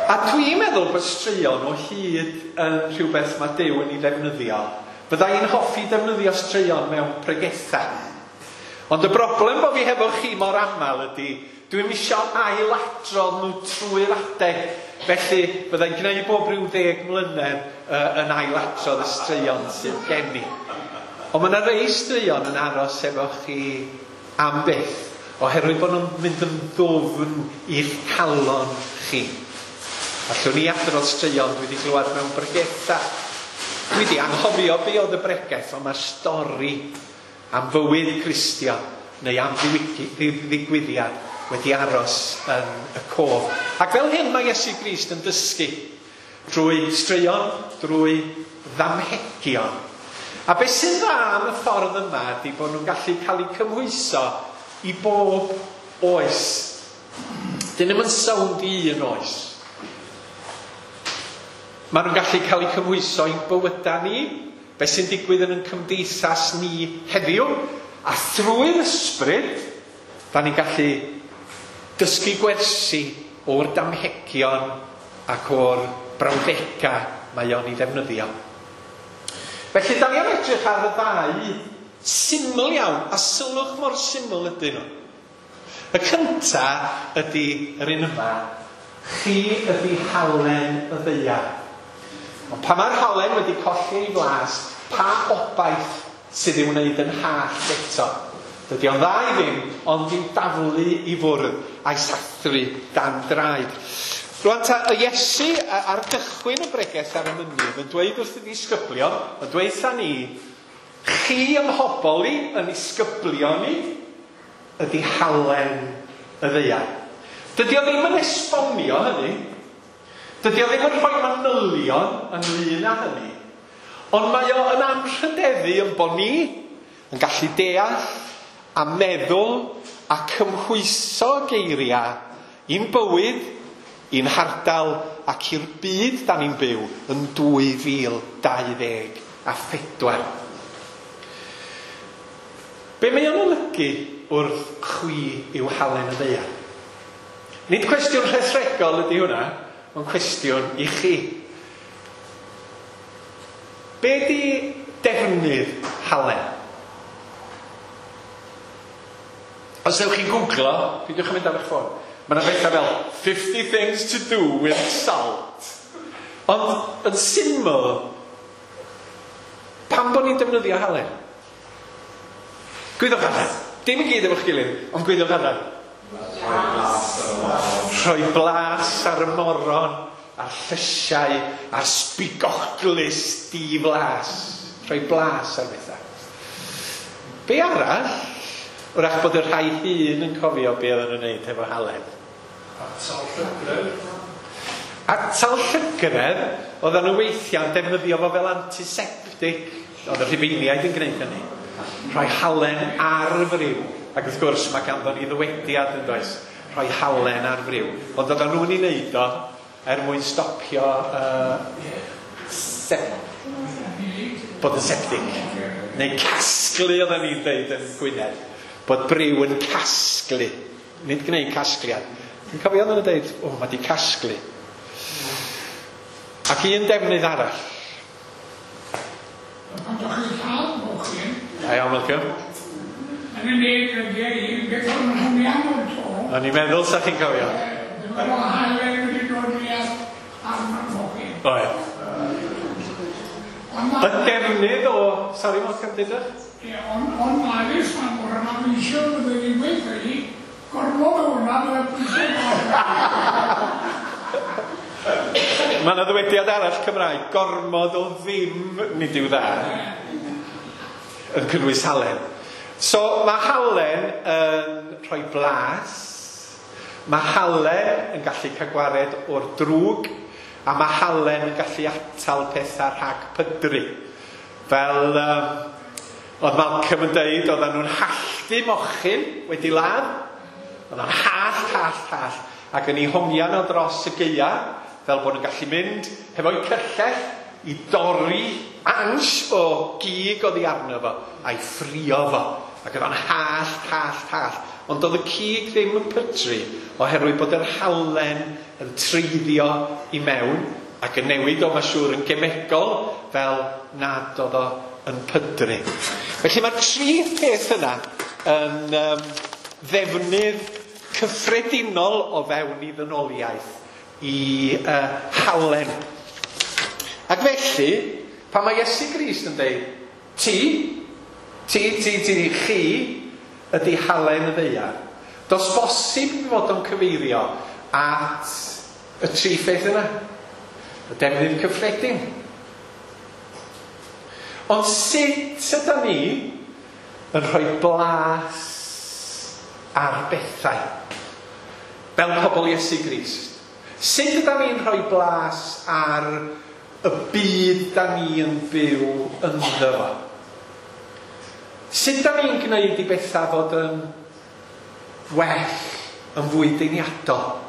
A dwi'n meddwl bod straeon o hyd yn rhywbeth mae Duw yn ei ddefnyddio. Fydda i'n hoffi defnyddio straeon mewn pregethau. Ond y broblem bod fi hefo chi mor aml ydy, dwi'm isio ailadrodd nhw trwy'r adeg. Felly, fyddai'n gwneud bob rhyw ddeg mlynedd uh, yn ailadrodd y straeon sydd gen i. Ond mae yna rei straeon yn aros efo chi am byth, oherwydd bod nhw'n mynd yn ddwfn i'ch calon chi. Allwn ni adrodd straeon dwi wedi glywed mewn bregethau. Dwi wedi anghofio be oedd y bregeth, ond mae'r stori am fywyd Cristion neu am ddigwyddiad wedi aros yn y cof. Ac fel hyn mae Iesu Grist yn dysgu drwy straeon, drwy ddamhegion. A beth sy'n dda am y ffordd yma ydy bod nhw'n gallu cael eu cymhwyso i bob oes. Dyn nhw'm yn sownd i un oes. Maen nhw'n gallu cael eu cymhwyso i'n bywydau ni, beth sy'n digwydd yn ein cymdeithas ni heddiw, a thrwy'r ysbryd, da ni'n gallu dysgu gwersi o'r damhegion ac o'r brawddegau mae o'n ei ddefnyddio. Felly, da ni am edrych ar y ddau syml iawn, a sylwch mor syml ydyn nhw. Y cynta ydy yr un yma, chi ydy halen y ddaear. Ond pan mae'r halen wedi colli ei flas, pa obaith sydd i'w wneud yn hallt eto? Dydy o'n dda i ddim, ond i'w daflu i fwrdd a'i sathru dan draed. Rwan ta, y Iesu ar gychwyn y bregeth ar y mynydd yn dweud wrth y disgyblion, yn dweud wrtha ni, chi ym mhobol i, yn isgyblion ni, ydy halen y ddaear. Dydy o ddim yn esbonio hynny. Dydy o ddim yn rhoi manylion ynglyn â hynny. Ond mae o yn anrhydeddu yn bod ni yn gallu deall a meddwl a cymhwyso geiriau i'n bywyd, i'n hardal ac i'r byd da ni'n byw yn dwy fil dau ddeg a phedwar. Be mae o'n olygu wrth chwi yw halen y ddaear? Nid cwestiwn rhethregol ydy hwnna, ond cwestiwn i chi. Be di defnydd halen? Os ewch chi'n googlo, peidiwch yn mynd ar eich ffôn, mae yna bethau fel fifty things to do with salt. Ond yn syml, pam bod ni'n defnyddio halen? Gwyddwch allan. Dim i gyd efo'ch gilydd, ond gwyddwch allan. Rhoi blas ar y moron, a'r llysiau, a'r sbigoglys di-flas. Rhoi blas ar bethau. Be arall? Wrach bod y rhai hŷn yn cofio be oedden nhw'n wneud efo halen. Atal llygredd. Atal llygredd, oedden nhw weithiau'n defnyddio fo fel antiseptic. Oedd y Rhufeiniaid yn gwneud hynny. Rhoi halen ar y friw. Ac wrth gwrs mae ganddo ni ddywediad yn does. Rhoi halen ar friw. Ond oedden nhw'n ei wneud o er mwyn stopio uh, sep- bod yn septic. Neu casglu oedden ni'n deud yn Gwynedd. Bod briw yn casglu. Nid gwneud casgliad. Dwi'n cofio oedden nhw'n deud, o, mae di casglu. Ac un defnydd arall. Ond o'ch chi'n cael mochyn. Da iawn, Malcolm. Yn y neg ydy un, beth o'n hwnna'n o'r to. O'n i'n meddwl sa chi'n cofio. Ddim o halen wedi dod i ar arno'r mochyn. Oedd. Y defnydd o... Sorry, Malcolm, dydych? Ie, ond on malus ma'n mor yna misio fydde ni'n gweithio i, gorfod o hwnna fydde pwysau. Mae yna ddywediad arall Cymraeg, gormod o ddim nid yw dda, yn cynnwys halen. So mae halen yn rhoi blas, mae halen yn gallu cael gwared o'r drwg, a mae halen yn gallu atal pethau rhag pydru. Fel um, oedd Malcolm yn deud, oedden nhw'n halltu mochyn wedi ladd. Oedden nhw'n hallt, hallt, hallt. Ac yn ei hongian o dros y gaea, fel bod nhw'n gallu mynd hefo'u cyllell i dorri ansh o gig oddi arno fo, a'i ffrio fo. Ac oedd o'n hallt, hallt, hallt. Ond oedd y cig ddim yn pydru, oherwydd bod yr halen yn treiddio i mewn, ac yn newid o, mae'n siŵr, yn gemegol, fel nad oedd o yn pydru. Felly mae'r tri peth yna yn um, ddefnydd cyffredinol o fewn i ddynoliaeth i uh, halen. Ac felly, pan mae Iesu Grist yn dweud, ti, ti, ti, ti, chi, ydy halen y ddaear. Does bosib fod o'n cyfeirio at y tri pheth yna. Y defnydd cyffredin. Ond sut ydy ni yn rhoi blas ar bethau? Fel pobl Iesu Grist. Sut ydy ni'n rhoi blas ar y byd da ni yn byw ynddo fo? Sut da ni'n gwneud i bethau fod yn well, yn fwy deniadol?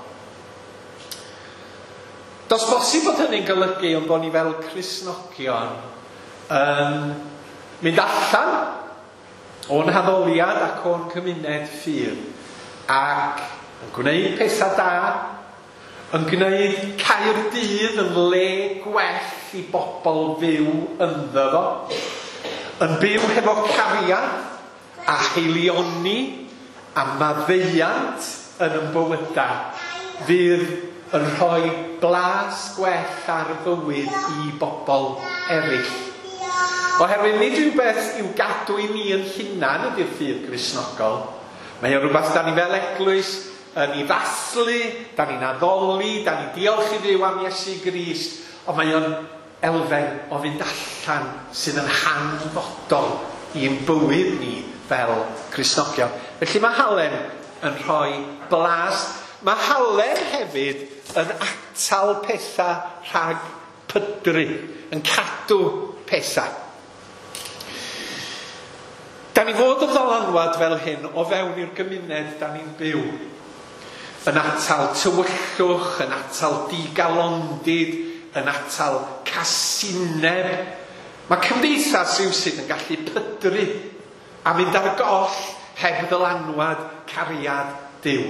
Does bosib bod hynny'n golygu ond bod ni fel Cristnogion yn mynd allan o'n haddoliad ac o'n cymuned ffydd ac yn gwneud pethau da, Yn gwneud Caerdydd yn le gwell i bobl fyw ynddo fo. Yn byw hefo cariad a haelioni a maddeuant yn ein bywydau fydd yn rhoi blas gwell ar fywyd i bobl eraill. Oherwydd nid rhywbeth i'w gadw i ni yn hunan ydy'r ffydd Gristnogol. Mae o rhywbeth da ni fel eglwys yn ei ddathlu, da ni'n addoli, da ni'n diolch i Dduw am Iesu Grist, ond mae o'n elfen o fynd allan sydd yn hanfodol i'n bywyd ni fel Cristnogion. Felly mae halen yn rhoi blas. Mae halen hefyd yn atal pethau rhag pydru, yn cadw pethau. Da ni fod yn ddylanwad fel hyn o fewn i'r gymuned da ni'n byw. Yn atal tywyllwch, yn atal digalondid, yn atal casineb. Mae cymdeithas rywsut yn gallu pydru a mynd ar goll heb ddylanwad cariad Duw.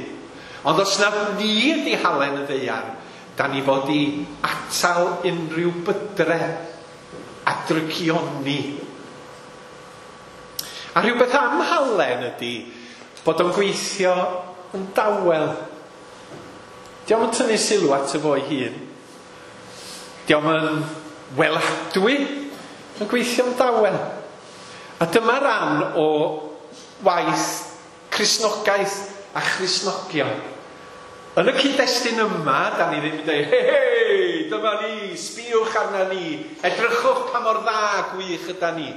Ond os na ni ydi halen y ddaear, da ni fod i atal unrhyw bydre a drygioni. A rhywbeth am halen ydi bod o'n gweithio yn dawel. Dio'm yn tynnu sylw at y fo'i hun. Dio'm yn weladwy, yn gweithio'n dawel. A dyma ran o waith Cristnogaeth a Christnogion. Yn y cyd-destun yma, da ni ddim yn dweud, hei, hei, dyma ni, sbïwch arna ni, edrychwch pa mor dda gwych yda ni.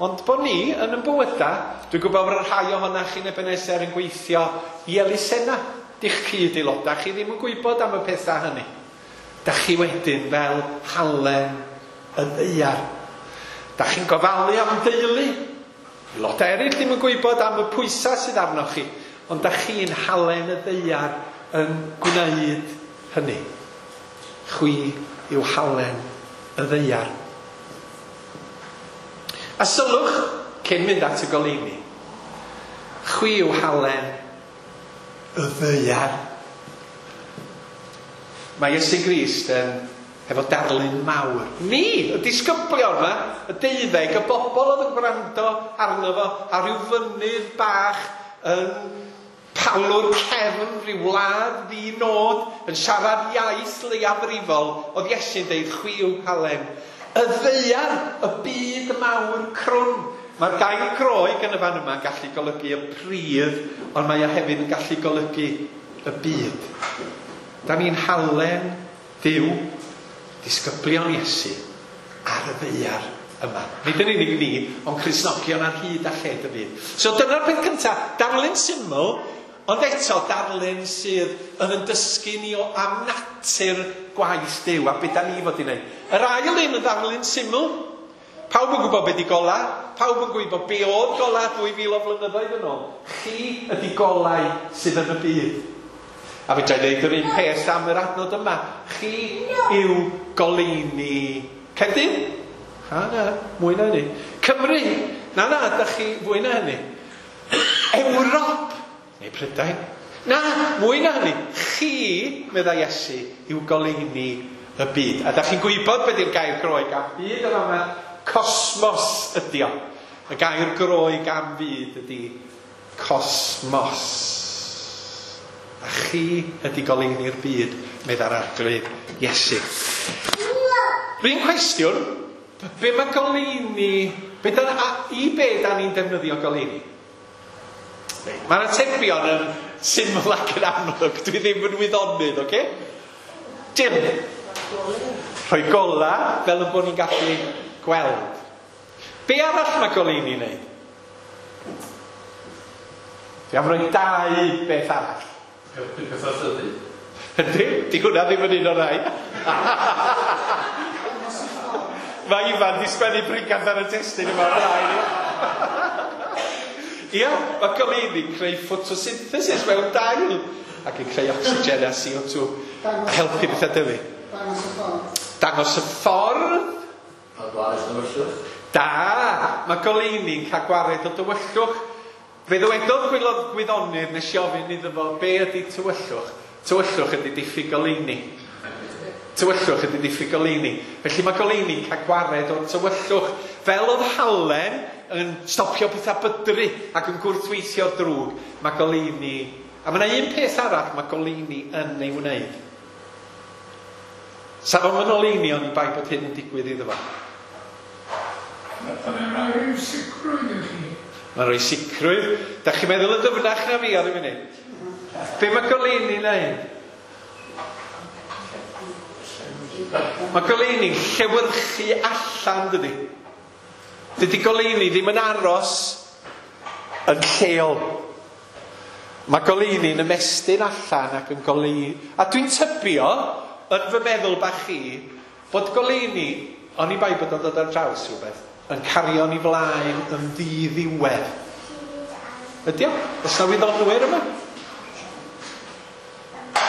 Ond bod ni yn ein bywydau, dwi'n gwybod bod rhai ohonoch chi'n Ebenezer yn gweithio i elusennau. Dych cyd-aelodau, chi ddim yn gwybod am y pethau hynny. Da chi wedyn fel halen y ddaear. Da chi'n gofalu am deulu. Aelodau eraill ddim yn gwybod am y pwysau sydd arnoch chi. Ond da chi'n halen y ddaear yn gwneud hynny. Chwi yw halen y ddaear. A sylwch, cyn mynd at y goleuni, chwi yw halen y ddaear. Mae Iesu Grist yn efo darlun mawr. Ni, y disgyblion yma, y deuddeg, y bobl oedd yn gwrando arno fo, ar ryw fynydd bach yn palwr cefn, rhyw wlad ddi-nod, yn siarad iaith leiafrifol, oedd Iesu'n deud, chwi yw halen y ddaear, y byd mawr crwn. Mae'r gair Groeg yn y fan yma yn gallu golygu y pridd, ond mae o hefyd yn gallu golygu y byd. Da ni'n halen Duw, disgyblion Iesu, ar y ddaear yma. Nid yn unig ni, ond Cristnogion ar hyd a lled y byd. So dyna'r peth cyntaf, darlun syml, ond eto darlun sydd yn yn dysgu ni o am natur gwaith Duw a beth da ni fod i wneud. Yr ail un yn ddarlun syml. Pawb yn gwybod beth di gola, pawb yn gwybod be oedd gola dwy fil o flynyddoedd yn ôl. Chi ydi golau sydd yn y byd. A fedra i ddeud yr un peth am yr adnod yma. Chi yw goleuni Caerdydd? Ha, na, mwy na hynny. Cymru? Na, na, da chi fwy na hynny. Ewrop? Neu Prydain? Na, mwy na hynny. Chi, meddai Iesu, yw goleuni y byd. A da chi'n gwybod beth yw'r gair Groeg am byd yn yma? Cosmos ydi o. Y gair Groeg am fyd ydi cosmos. A chi ydi goleuni'r byd, meddai'r Arglwydd Iesu. Rhywun cwestiwn, be mae goleuni, be da, a, i be da ni'n defnyddio goleuni? Mae'r atebion yn syml ac yn amlwg, dwi ddim yn wyddonydd, oce? Dim. Rhoi gola fel y bod ni'n gallu gweld. Be arall mae goleuni'n neud? Dwi am roi dau beth arall. Helpu pethau tyfu. Ydy, di hwnna ddim yn un o'r rhai. Mae Ifan di sgwennu brigath ar y testun yma o'r rhai. Ia, mae goleuni'n creu photosynthesis mewn dail ac yn creu oxygen a C O two a helpu pethau dyfu. Dangos y ffordd. Dangos y ffordd. Cael gwared o dywyllwch. Da, mae goleuni'n cael gwared o dywyllwch. Fe ddywedodd gwyddonydd nes i ofyn iddo fo be ydy tywyllwch. Tywyllwch ydy diffyg goleuni. Tywyllwch ydy diffyg goleuni. Felly mae goleuni'n cael gwared o'r tywyllwch. Fel oedd halen yn stopio pethau bydru ac yn gwrthweithio'r drwg, mae goleuni... A mae yna un peth arall mae goleuni yn ei wneud. Sa fo'm yn oleuni oni bai bod hyn yn digwydd iddo fo. Mae'n rhoi rhyw sicrwydd i chi. Mae'n rhoi sicrwydd. Da chi'n meddwl yn dyfnach na fi ar y funud? Be mae goleuni'n neud? Mae goleuni'n llewyrchu allan, dydy. Dydy goleuni ddim yn aros yn lleol. Mae goleuni'n ymestyn allan ac yn goleuni. A dwi'n tybio, yn fy meddwl bach chi, bod goleuni, oni bai bod o'n dod ar draws rhywbeth, yn cario ni flaen yn ddiddiwedd. Ydy o? Oes 'na wyddonwyr yma?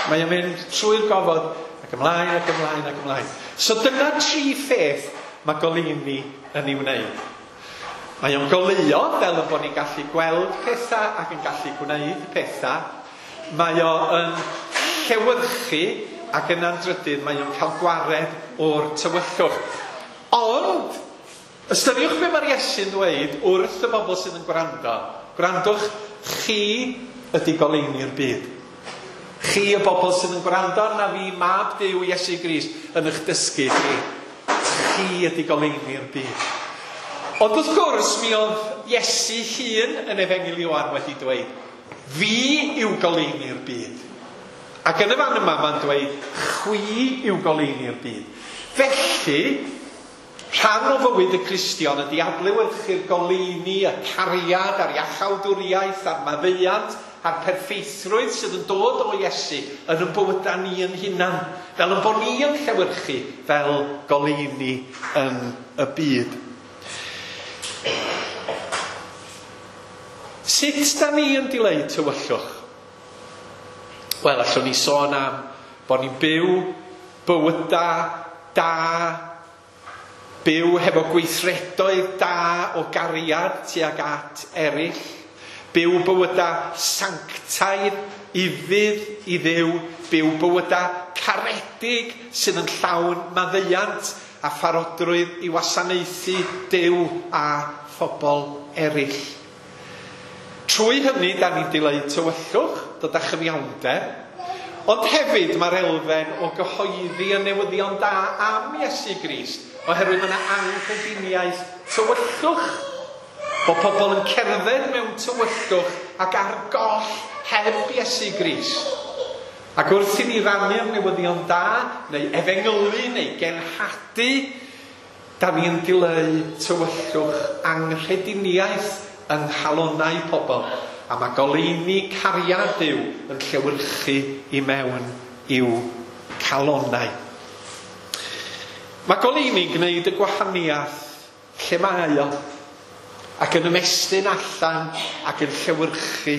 Mae o'n mynd trwy'r gofod ac ymlaen ac ymlaen ac ymlaen. So dyna tri pheth mae goleuni yn ei wneud. Mae o'n goleuo fel yn bod ni'n gallu gweld pethau ac yn gallu gwneud pethau. Mae o'n llewyrchu ac yna'n drydydd mae o'n cael gwared o'r tywyllwch. Ond, ystyriwch be mae'r Iesu'n dweud wrth y bobl sydd yn gwrando. Gwrandwch, chi ydy goleuni'r byd. Chi y bobl sydd yn gwrando arna fi, mab Duw Iesu Grist, yn eich dysgu chi. Chi ydy goleuni'r byd. Ond wrth gwrs, mi oedd Iesu hun yn Efengyl Ioan wedi dweud, fi yw goleuni'r byd. Ac yn y fan yma mae'n dweud, chwi yw goleuni'r byd. Felly, rhan o fywyd y Cristion ydy adlewyrchu'r goleuni, y cariad, a'r iachawdwriaeth, a'r maddeuant, a'r perffeithrwydd sydd yn dod o Iesu yn ein bywydau ni yn hunan, fel yn bod ni yn llewyrchu fel goleuni yn y byd. Sut da ni yn dileu tywyllwch? Wel, allwn ni sôn am bod ni'n byw bywydau da, byw hefo gweithredoedd da o gariad tuag at eraill, byw bywydau sanctaidd, ufudd i Dduw, byw bywydau caredig sydd yn llawn maddeuant a pharodrwydd i wasanaethu Duw a phobl eraill. Trwy hynny, da ni'n dileu tywyllwch, dod â chyfiawnder, ond hefyd mae'r elfen o gyhoeddi y newyddion da am Iesu Grist, oherwydd mae yna anghrediniaeth tywyllwch, bod pobl yn cerdded mewn tywyllwch ac ar goll heb Iesu Grist. Ac wrth i ni rannu'r newyddion da, neu efengylu, neu genhadu, da ni'n dileu tywyllwch anghrediniaeth yng nghalonnau pobl. A mae goleuni cariad Duw yn llewyrchu i mewn i'w calonnau. Mae goleuni'n gwneud y gwahaniaeth lle mae o, ac yn ymestyn allan ac yn llewyrchu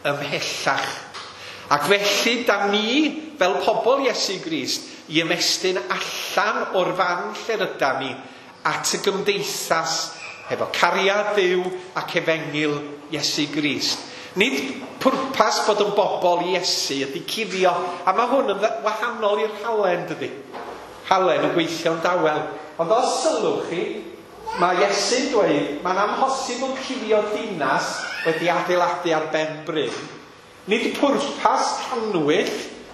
ymhellach. Ac felly, da ni, fel pobl Iesu Grist, i ymestyn allan o'r fan lle rydan ni at y gymdeithas hefo cariad Duw ac efengyl Iesu Grist. Nid pwrpas bod yn bobl Iesu ydy cuddio, a mae hwn yn wahanol i'r halen, dydy. Halen yn gweithio'n dawel. Ond os sylwch chi, mae Iesu'n dweud, mae'n amhosibl cuddio dinas wedi adeiladu ar ben bryn. Nid pwrpas cannwyll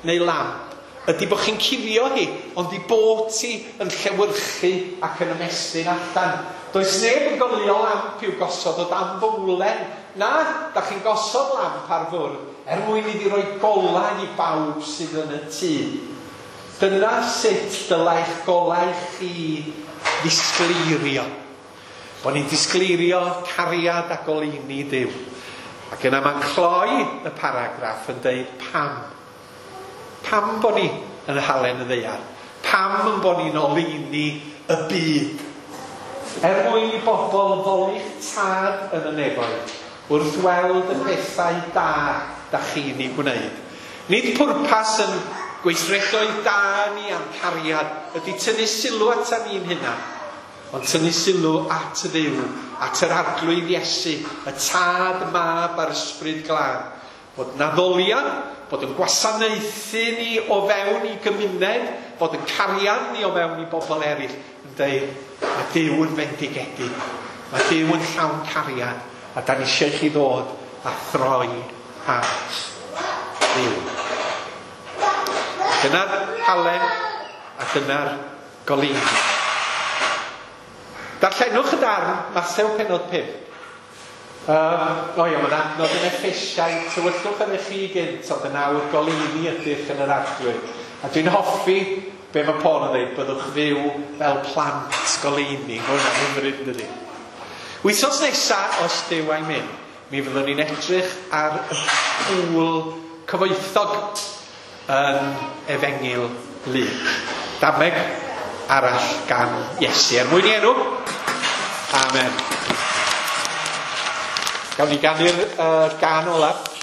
neu lamp ydy bod chi'n cuddio hi, ond i bod ti yn llewyrchu ac yn ymestyn allan. Does neb yn goleuo lamp i'w gosod o dan fowlen. Na, da chi'n gosod lamp ar fwrdd er mwyn iddi roi golau i bawb sydd yn y tŷ. Dyna sut dylai'ch golau chi ddisgleirio. Bod ni'n disgleirio cariad a goleuni Duw. Ac yna mae'n cloi y paragraff yn deud pam. Pam bod ni yn halen y ddaear? Pam yn bod ni'n oleuni y byd? Er mwyn i bobl foli'ch tad yn y nefoedd, wrth weld y pethau da da chi'n ei gwneud. Nid pwrpas yn gweithredoedd da ni a'n cariad ydy tynnu sylw ata ni'n hunan, ond tynnu sylw at y Dduw, at yr Arglwydd Iesu, y Tad, Mab a'r Ysbryd Glân. Bod naddoliad, bod yn gwasanaethu ni o fewn i gymuned, bod yn cariad ni o fewn i bobl eraill, yn dweud, mae Duw yn fendigedig, mae Duw yn llawn cariad, a da ni eisiau chi ddod a throi at Dduw. Dyna'r halen a dyna'r goleuni. Darllenwch y darn, Mathew pennod pump. Um, o ia, mae'n adnod yn Effesiaid, tywyllwch yn eich chi gynt, ond yn awr goleuni ydych yn yr Arglwydd. A dwi'n hoffi be mae Paul yn dweud, byddwch fyw fel plant goleuni. Mae hwnna'n hyfryd, dydy. Wythnos nesa, os Duw a'i mynd, mi fyddwn ni'n edrych ar y pŵl cyfoethog yn Efengyl Luc. Dameg arall gan Iesu. Er mwyn i enw, amen. Gawn ni ganu'r uh, gan olaf.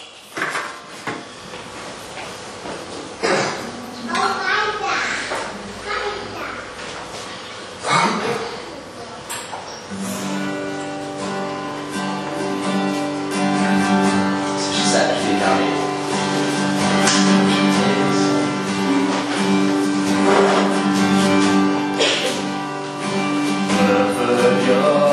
Lord.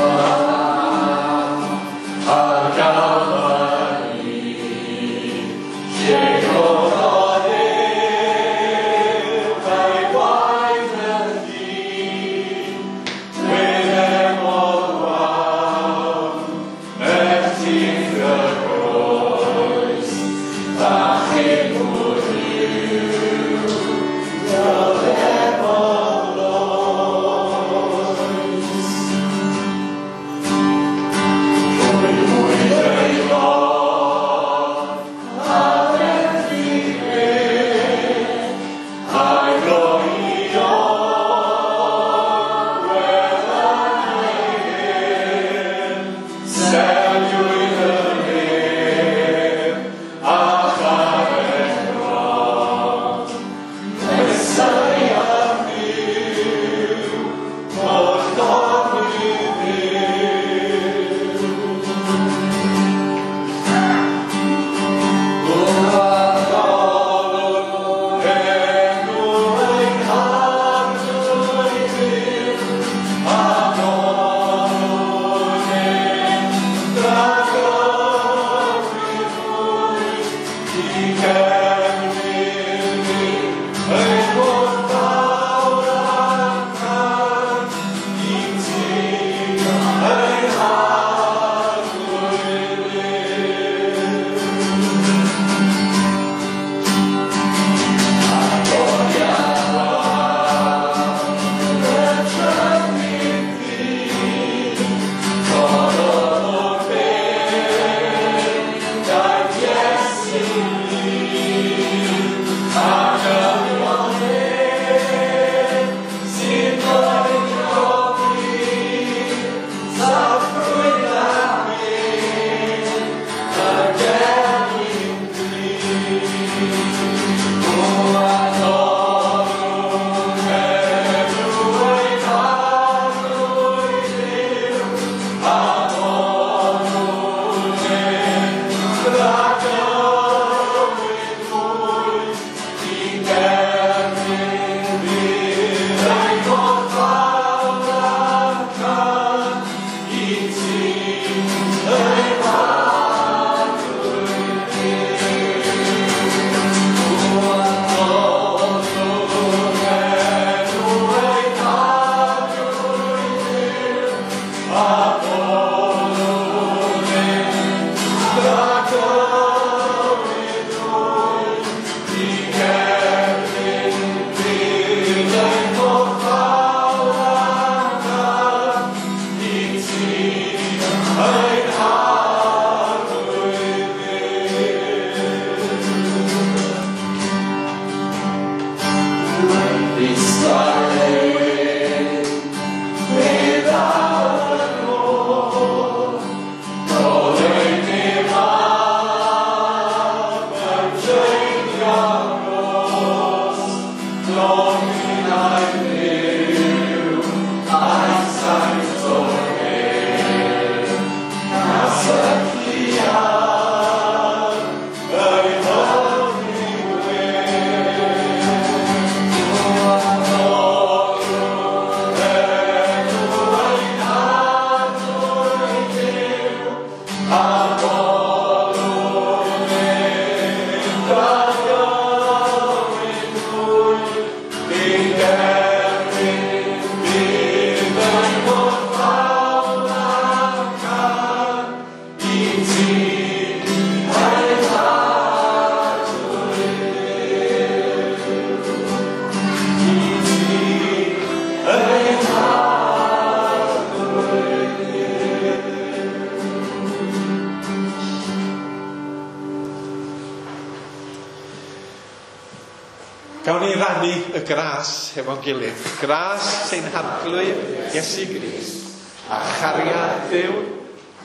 Gawn ni rannu y gras hefo'n gilydd. Gras ein Harglwydd Iesu Grist, a chariad Duw,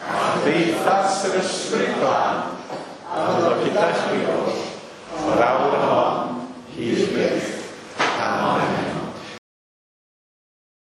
a chymdeithas yr Ysbryd Glân,